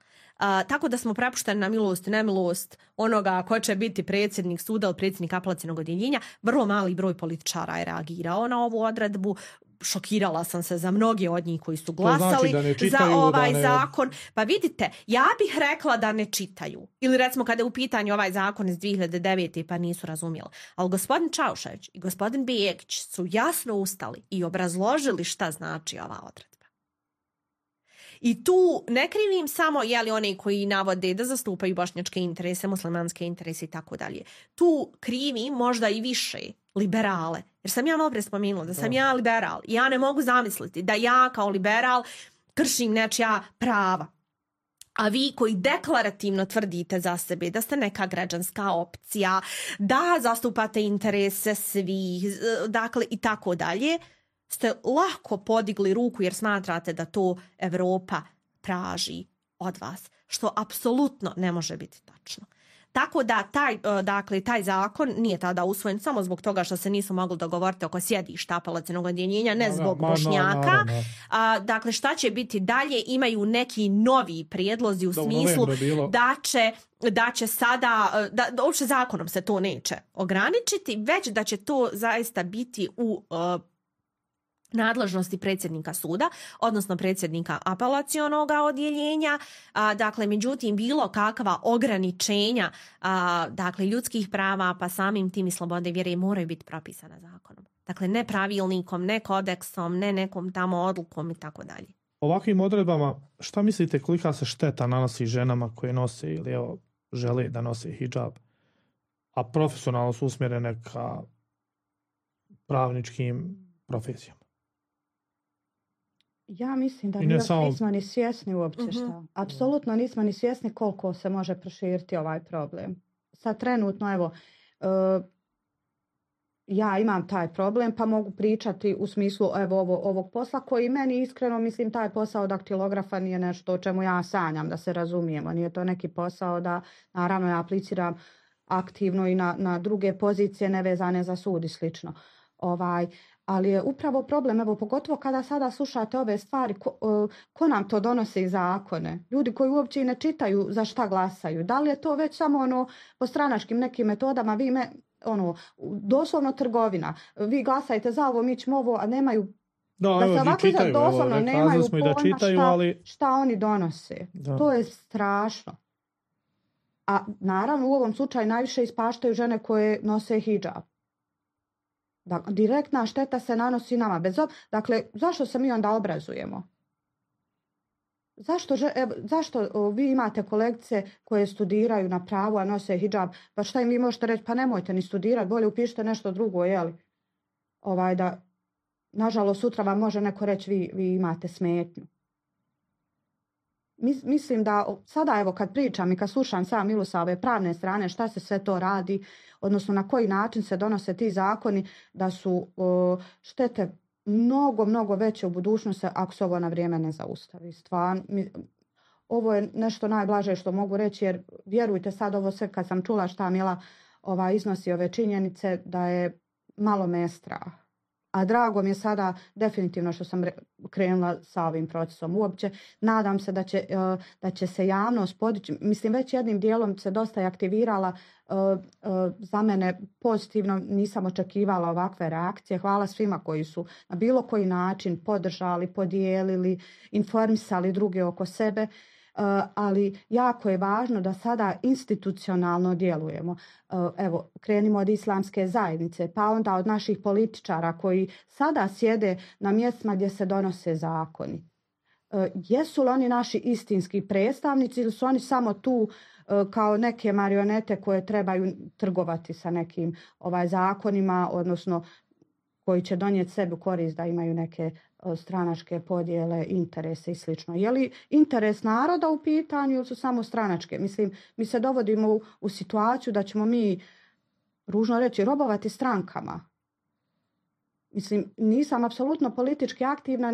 Tako da smo prepušteni na milost i nemilost onoga ko će biti predsjednik suda ili predsjednik apelacionog odjeljenja. Vrlo mali broj političara je reagirao na ovu odredbu. Šokirala sam se za mnoge od njih koji su glasali za ovaj zakon. Pa vidite, ja bih rekla da ne čitaju. Ili recimo kada je u pitanju ovaj zakon iz 2009. pa nisu razumjeli. Ali gospodin Čaušević i gospodin Begić su jasno ustali i obrazložili šta znači ova odredba. I tu ne krivim samo oni koji navode da zastupaju bošnjačke interese, muslimanske interese i tako dalje. Tu krivim možda i više liberale. Jer sam ja malo prije spomenula da sam ja liberal. Ja ne mogu zamisliti da ja kao liberal kršim nečija prava. A vi koji deklarativno tvrdite za sebe da ste neka građanska opcija, da zastupate interese svih, dakle i tako dalje, ste lako podigli ruku jer smatrate da to Evropa traži od vas, što apsolutno ne može biti tačno. Tako da taj zakon nije tada usvojen samo zbog toga što se nisu mogli dogovoriti oko sjedišta apelacionog odjeljenja, ne zbog Bošnjaka. Dakle, šta će biti dalje? Imaju neki novi prijedlozi u smislu da će sada, da uopće zakonom se to neće ograničiti, već da će to zaista biti u nadležnosti predsjednika suda, odnosno predsjednika apelacionog odjeljenja. Dakle, međutim, bilo kakva ograničenja ljudskih prava, pa samim tim i slobode vjere moraju biti propisana zakonom. Dakle, ne pravilnikom, ne kodeksom, ne nekom tamo odlukom i tako dalje. Ovakvim odredbama, šta mislite kolika se šteta nanosi ženama koje nose ili žele da nose hidžab, a profesionalno su usmjerene ka pravničkim profesijama? Ja mislim da nismo ni svjesni uopće šta. Apsolutno nismo ni svjesni koliko se može proširiti ovaj problem. Sad trenutno, ja imam taj problem pa mogu pričati u smislu ovog posla koji meni iskreno mislim taj posao daktilografa nije nešto o čemu ja sanjam da se razumijemo. Nije to neki posao da naravno ja apliciram aktivno i na druge pozicije nevezane za sud i slično. Ali je upravo problem, pogotovo kada sada slušate ove stvari, ko nam to donosi zakone? Ljudi koji uopće i ne čitaju za šta glasaju. Da li je to već samo po stranačkim nekim metodama, doslovno trgovina. Vi glasajte za ovo, mi ćemo ovo, a nemaju da se ovako doslovno nemaju pojma šta oni donose. Da. To je strašno. A naravno u ovom slučaju najviše ispaštaju žene koje nose hidžab. Dakle, direktna šteta se nanosi nama. Dakle, zašto se mi onda obrazujemo? Zašto vi imate kolegice koje studiraju na pravu, a nose hidžab? Pa šta im vi možete reći? Pa nemojte ni studirati, bolje upišite nešto drugo, jeli? Da, nažalost, sutra vam može neko reći vi imate smetnju. mislim da sada evo kad pričam i kad slušam sam Milu sa ove pravne strane šta se sve to radi, odnosno na koji način se donose ti zakoni, da su štete mnogo veće u budućnosti ako se ovo na vrijeme ne zaustavi. Stvarno, ovo je nešto najblaže što mogu reći, jer vjerujte sad ovo sve kad sam čula šta Mila iznosi ove činjenice, da je malo me je strah. A drago mi je sada definitivno što sam krenula sa ovim procesom. Uopće nadam se da će se javnost podići. Mislim, već jednim dijelom se dosta aktivirala. Za mene pozitivno, nisam očekivala ovakve reakcije. Hvala svima koji su na bilo koji način podržali, podijelili, informisali druge oko sebe. Ali jako je važno da sada institucionalno djelujemo. Evo, krenimo od islamske zajednice, pa onda od naših političara koji sada sjede na mjestima gdje se donose zakoni. Jesu li oni naši istinski predstavnici ili su oni samo tu kao neke marionete koje trebaju trgovati sa nekim zakonima, odnosno koji će donijeti sebi korist da imaju neke stranačke podjele, interese i slično. Je li interes naroda u pitanju ili su samo stranačke? Mislim, mi se dovodimo u situaciju da ćemo mi, ružno reći, robovati strankama. Mislim, nisam apsolutno politički aktivna,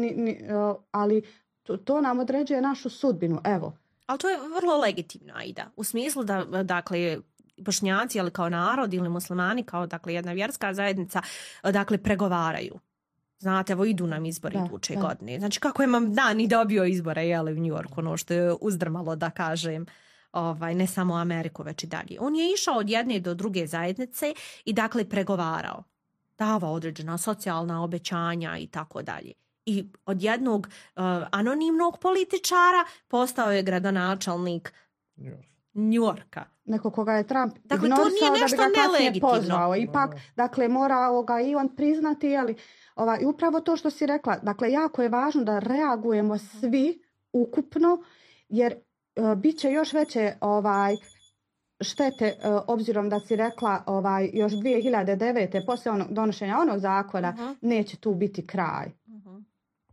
ali to nam određuje našu sudbinu. Evo. Ali to je vrlo legitimno, Aida. U smislu da, dakle, Bošnjaci, ali kao narod, ili muslimani kao, dakle, jedna vjerska zajednica, dakle, pregovaraju. Znate, evo idu nam izbori iduće godine. Znači, kako je Mamdani dobio izbore, jeli, u New Yorku, ono što je uzdrmalo, da kažem, ne samo Ameriku, već i dalje. On je išao od jedne do druge zajednice i, dakle, pregovarao. Davao određena socijalna obećanja i tako dalje. I od jednog anonimnog političara postao je gradonačelnik New Yorka. Neko koga je Trump dakle, to nije nešto nelegitimno. Pozvao. Ipak, dakle, mora i on priznati, jeli, i upravo to što si rekla, dakle, jako je važno da reagujemo svi ukupno, jer bit će još veće štete, obzirom da si rekla još 2009. poslije donošenja onog zakona, neće tu biti kraj.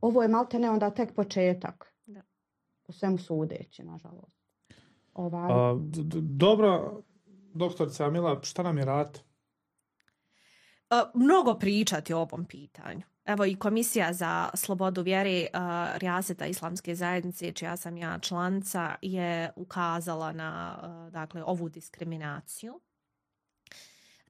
Ovo je maltene onda tek početak. Da. Po svemu sudeći, nažalost. Dobro, doktorica Mila, šta nam je rad? Mnogo pričati o ovom pitanju. Evo i Komisija za slobodu vjere Rijaseta Islamske zajednice, čija sam ja članica, je ukazala na dakle, ovu diskriminaciju.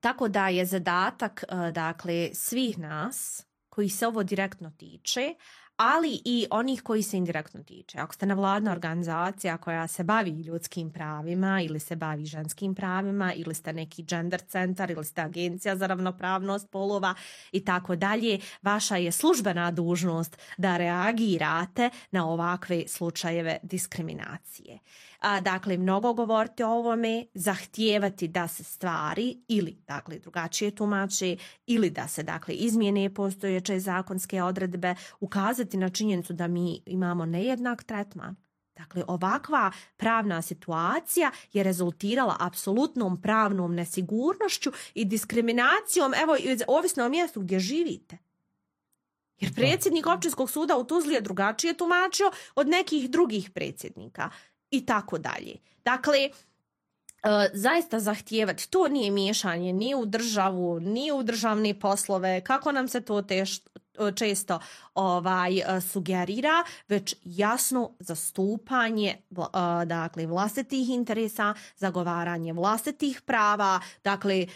Tako da je zadatak dakle, svih nas koji se ovo direktno tiče, ali i onih koji se indirektno tiče. Ako ste nevladna organizacija koja se bavi ljudskim pravima ili se bavi ženskim pravima ili ste neki gender centar ili ste agencija za ravnopravnost polova i tako dalje, vaša je službena dužnost da reagirate na ovakve slučajeve diskriminacije. Dakle, mnogo govoriti o ovome, zahtijevati da se stvari ili dakle, drugačije tumače ili da se dakle, izmjene postojeće zakonske odredbe, ukazati na činjenicu da mi imamo nejednak tretman. Dakle, ovakva pravna situacija je rezultirala apsolutnom pravnom nesigurnošću i diskriminacijom, evo, ovisno o mjestu gdje živite. Jer predsjednik Općinskog suda u Tuzli je drugačije tumačio od nekih drugih predsjednika. I tako dalje. Dakle, zaista zahtijevati, to nije miješanje ni u državu, ni u državne poslove, kako nam se to često sugerira, već jasno zastupanje dakle, vlastitih interesa, zagovaranje vlastitih prava, dakle,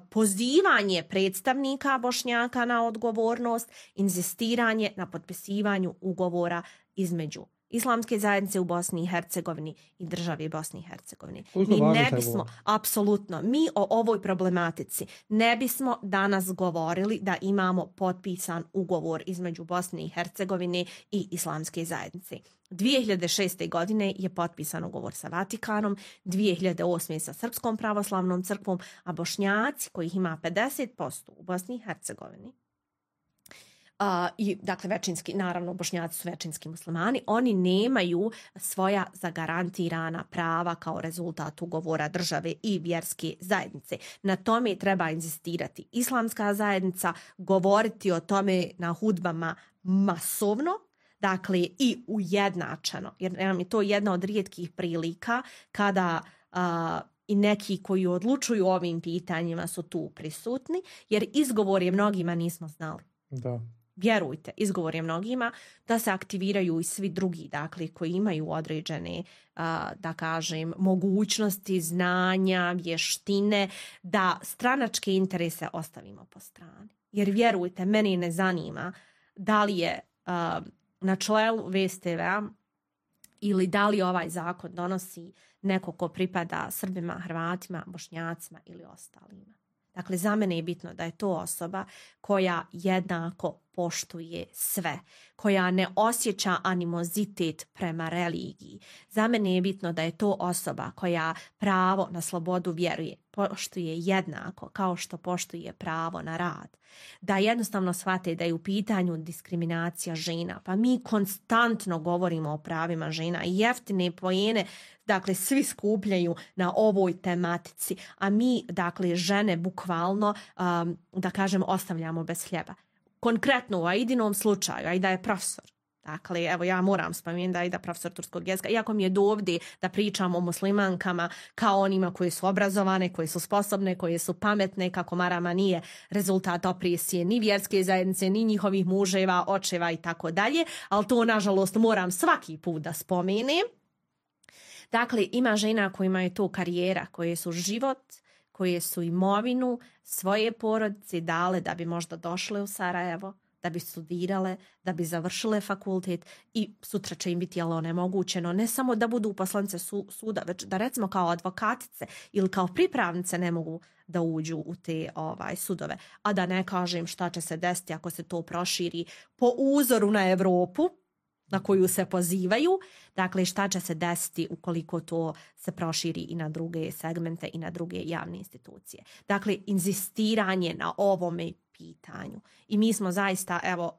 pozivanje predstavnika Bošnjaka na odgovornost, inzistiranje na potpisivanju ugovora između Islamske zajednice u Bosni i Hercegovini i državi Bosni i Hercegovini. Mi ne bismo, apsolutno, mi o ovoj problematici ne bismo danas govorili da imamo potpisan ugovor između Bosne i Hercegovine i Islamske zajednice. 2006. godine je potpisan ugovor sa Vatikanom, 2008. sa Srpskom pravoslavnom crkvom, a Bošnjaci, kojih ima 50% u Bosni i Hercegovini, i dakle većinski, naravno Bošnjaci su većinski muslimani, oni nemaju svoja zagarantirana prava kao rezultat ugovora države i vjerske zajednice. Na tome treba inzistirati Islamska zajednica, govoriti o tome na hudbama masovno, dakle i ujednačeno, jer nam je to jedna od rijetkih prilika kada i neki koji odlučuju o ovim pitanjima su tu prisutni, jer izgovor je mnogima nismo znali. Da. Vjerujte, izgovor je mnogima da se aktiviraju i svi drugi, dakle, koji imaju određene, da kažem, mogućnosti, znanja, vještine, da stranačke interese ostavimo po strani. Jer vjerujte, meni ne zanima da li je na čelu VSTV-a ili da li ovaj zakon donosi neko ko pripada Srbima, Hrvatima, Bošnjacima ili ostalima. Dakle, za mene je bitno da je to osoba koja jednako poštuje sve, koja ne osjeća animozitet prema religiji. Za mene je bitno da je to osoba koja pravo na slobodu vjeruje, poštuje jednako kao što poštuje pravo na rad. Da jednostavno shvate da je u pitanju diskriminacija žena. Pa mi konstantno govorimo o pravima žena i jeftine poene, dakle, svi skupljaju na ovoj tematici, a mi, dakle, žene bukvalno, da kažem, ostavljamo bez hljeba. Konkretno u Aidinom slučaju, Aida je profesor. Dakle, evo ja moram spomenuti da Aida profesor turskog jezika, iako mi je dovde da pričam o muslimankama kao onima koje su obrazovane, koje su sposobne, koje su pametne, kako marama nije rezultat opresije ni vjerske zajednice, ni njihovih muževa, očeva i tako dalje, ali to nažalost moram svaki put da spomenem. Dakle, ima žena kojima je to karijera, koje su život, koje su imovinu, svoje porodice dale da bi možda došle u Sarajevo, da bi studirale, da bi završile fakultet i sutra će im biti onemogućeno ne samo da budu poslanice suda, već da recimo kao advokatice ili kao pripravnice ne mogu da uđu u te sudove. A da ne kažem šta će se desiti ako se to proširi po uzoru na Europu, na koju se pozivaju, dakle šta će se desiti ukoliko to se proširi i na druge segmente i na druge javne institucije. Dakle, inzistiranje na ovome pitanju. I mi smo zaista, evo,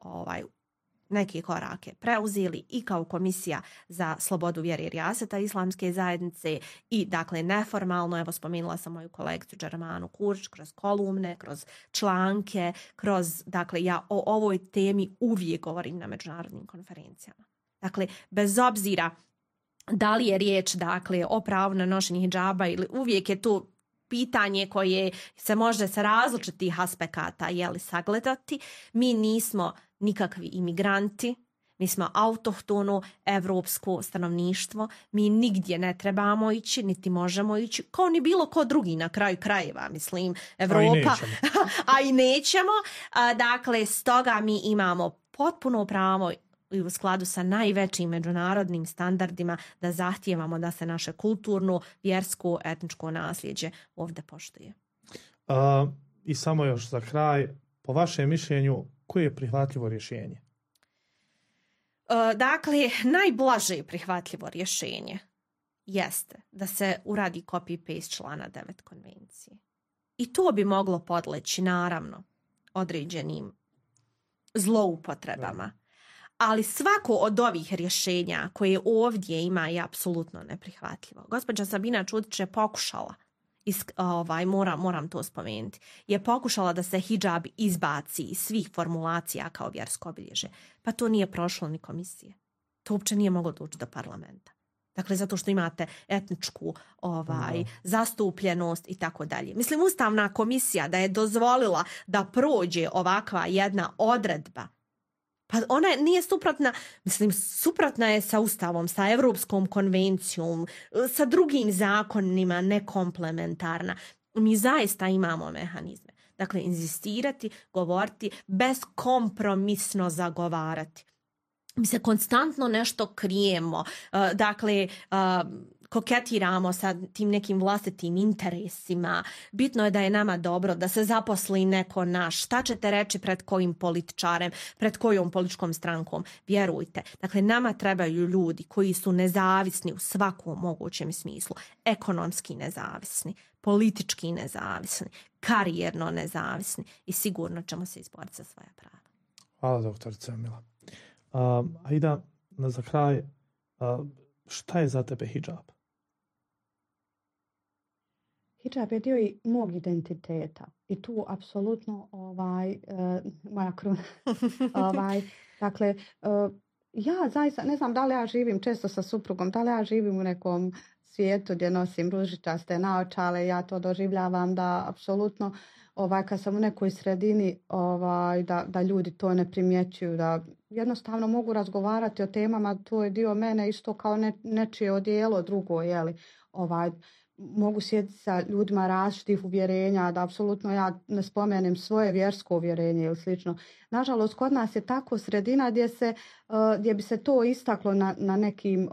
neke korake preuzeli i kao Komisija za slobodu vjere i rijaseta Islamske zajednice i, dakle, neformalno, evo, spomenula sam moju kolegicu Džermanu Kurć, kroz kolumne, kroz članke, kroz, dakle, ja o ovoj temi uvijek govorim na međunarodnim konferencijama. Dakle, bez obzira da li je riječ, dakle, o pravu na nošenje hidžaba ili uvijek je to pitanje koje se može sa različitih aspekata sagledati. Mi nismo nikakvi imigranti, mi smo autohtono evropsko stanovništvo, mi nigdje ne trebamo ići, niti možemo ići, kao ni bilo ko drugi na kraju krajeva, mislim, Evropa, a i nećemo. Dakle, stoga mi imamo potpuno pravo i u skladu sa najvećim međunarodnim standardima da zahtijevamo da se naše kulturno, vjersko, etničko nasljeđe ovdje poštuje. I samo još za kraj, po vašem mišljenju, koje je prihvatljivo rješenje? Dakle, najblaže prihvatljivo rješenje jeste da se uradi copy-paste člana 9 konvencije. I to bi moglo podleći, naravno, određenim zloupotrebama. Ali svako od ovih rješenja koje ovdje ima je apsolutno neprihvatljivo. Gospođa Sabina Čudić je pokušala, moram to spomenuti, je pokušala da se hidžab izbaci iz svih formulacija kao vjersko obilježje. Pa to nije prošlo ni komisije. To uopće nije moglo doći do parlamenta. Dakle, zato što imate etničku zastupljenost i tako dalje. Mislim, Ustavna komisija da je dozvolila da prođe ovakva jedna odredba, pa ona nije suprotna, mislim, suprotna je sa Ustavom, sa Europskom konvencijom, sa drugim zakonima, nekomplementarna. Mi zaista imamo mehanizme. Dakle, inzistirati, govoriti, beskompromisno zagovarati. Mi se konstantno nešto krijemo, dakle, koketiramo sa tim nekim vlastitim interesima. Bitno je da je nama dobro, da se zaposli neko naš. Šta ćete reći pred kojim političarem, pred kojom političkom strankom? Vjerujte. Dakle, nama trebaju ljudi koji su nezavisni u svakom mogućem smislu. Ekonomski nezavisni, politički nezavisni, karijerno nezavisni i sigurno ćemo se izboriti za svoja prava. Hvala, doktorica Emila. Aida, za kraj, šta je za tebe hidžab? Hidžab je dio i mog identiteta i tu apsolutno moja kruna. Dakle, Ja zaista ne znam da li ja živim često sa suprugom, da li ja živim u nekom svijetu gdje nosim ružičaste naočale, ja to doživljavam da apsolutno kad sam u nekoj sredini da ljudi to ne primjećuju, da jednostavno mogu razgovarati o temama, to je dio mene isto kao nečije odijelo drugo, mogu sjediti sa ljudima različitih uvjerenja, da apsolutno ja ne spomenem svoje vjersko uvjerenje ili slično. Nažalost, kod nas je tako sredina gdje bi se to istaklo na nekim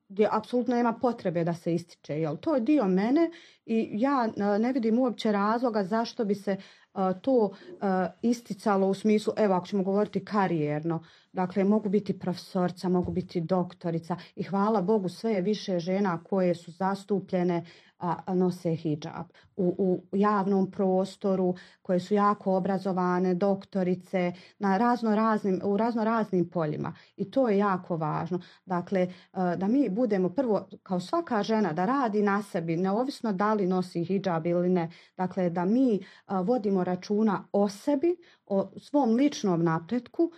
gdje apsolutno nema potrebe da se ističe. To je dio mene i ja ne vidim uopće razloga zašto bi se to isticalo u smislu, evo ako ćemo govoriti karijerno, dakle mogu biti profesorica, mogu biti doktorica i hvala Bogu sve je više žena koje su zastupljene nose hidžab u javnom prostoru, koje su jako obrazovane, doktorice, u razno raznim poljima i to je jako važno. Dakle, da mi budemo prvo, kao svaka žena, da radi na sebi, neovisno da li nosi hidžab ili ne, dakle da mi vodimo računa o sebi, o svom ličnom napretku,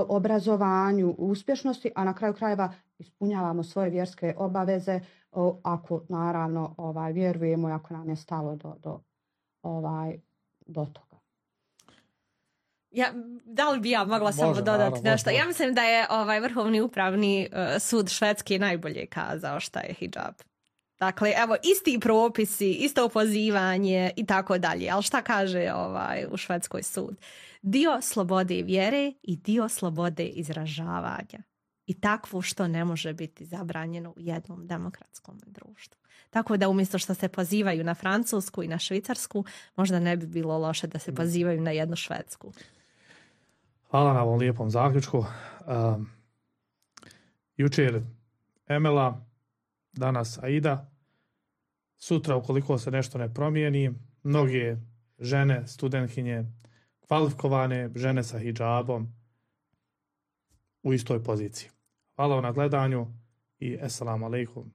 obrazovanju, uspješnosti, a na kraju krajeva ispunjavamo svoje vjerske obaveze ako naravno vjerujemo i ako nam je stalo do toga. Da li bi ja mogla samo dodati nešto? Ja mislim da je Vrhovni upravni sud Švedske najbolje kazao šta je hidžab. Dakle, evo, isti propisi, isto pozivanje i tako dalje. Ali šta kaže u Švedskoj sud? Dio slobode vjere i dio slobode izražavanja. I takvo što ne može biti zabranjeno u jednom demokratskom društvu. Tako da umjesto što se pozivaju na Francusku i na Švicarsku, možda ne bi bilo loše da se pozivaju na jednu Švedsku. Hvala na ovom lijepom zaključku. Jučer Emela, danas Aida. Sutra, ukoliko se nešto ne promijeni, mnoge žene, studentkinje, kvalifikovane žene sa hidžabom u istoj poziciji. Hvala vam na gledanju i assalamu alaikum.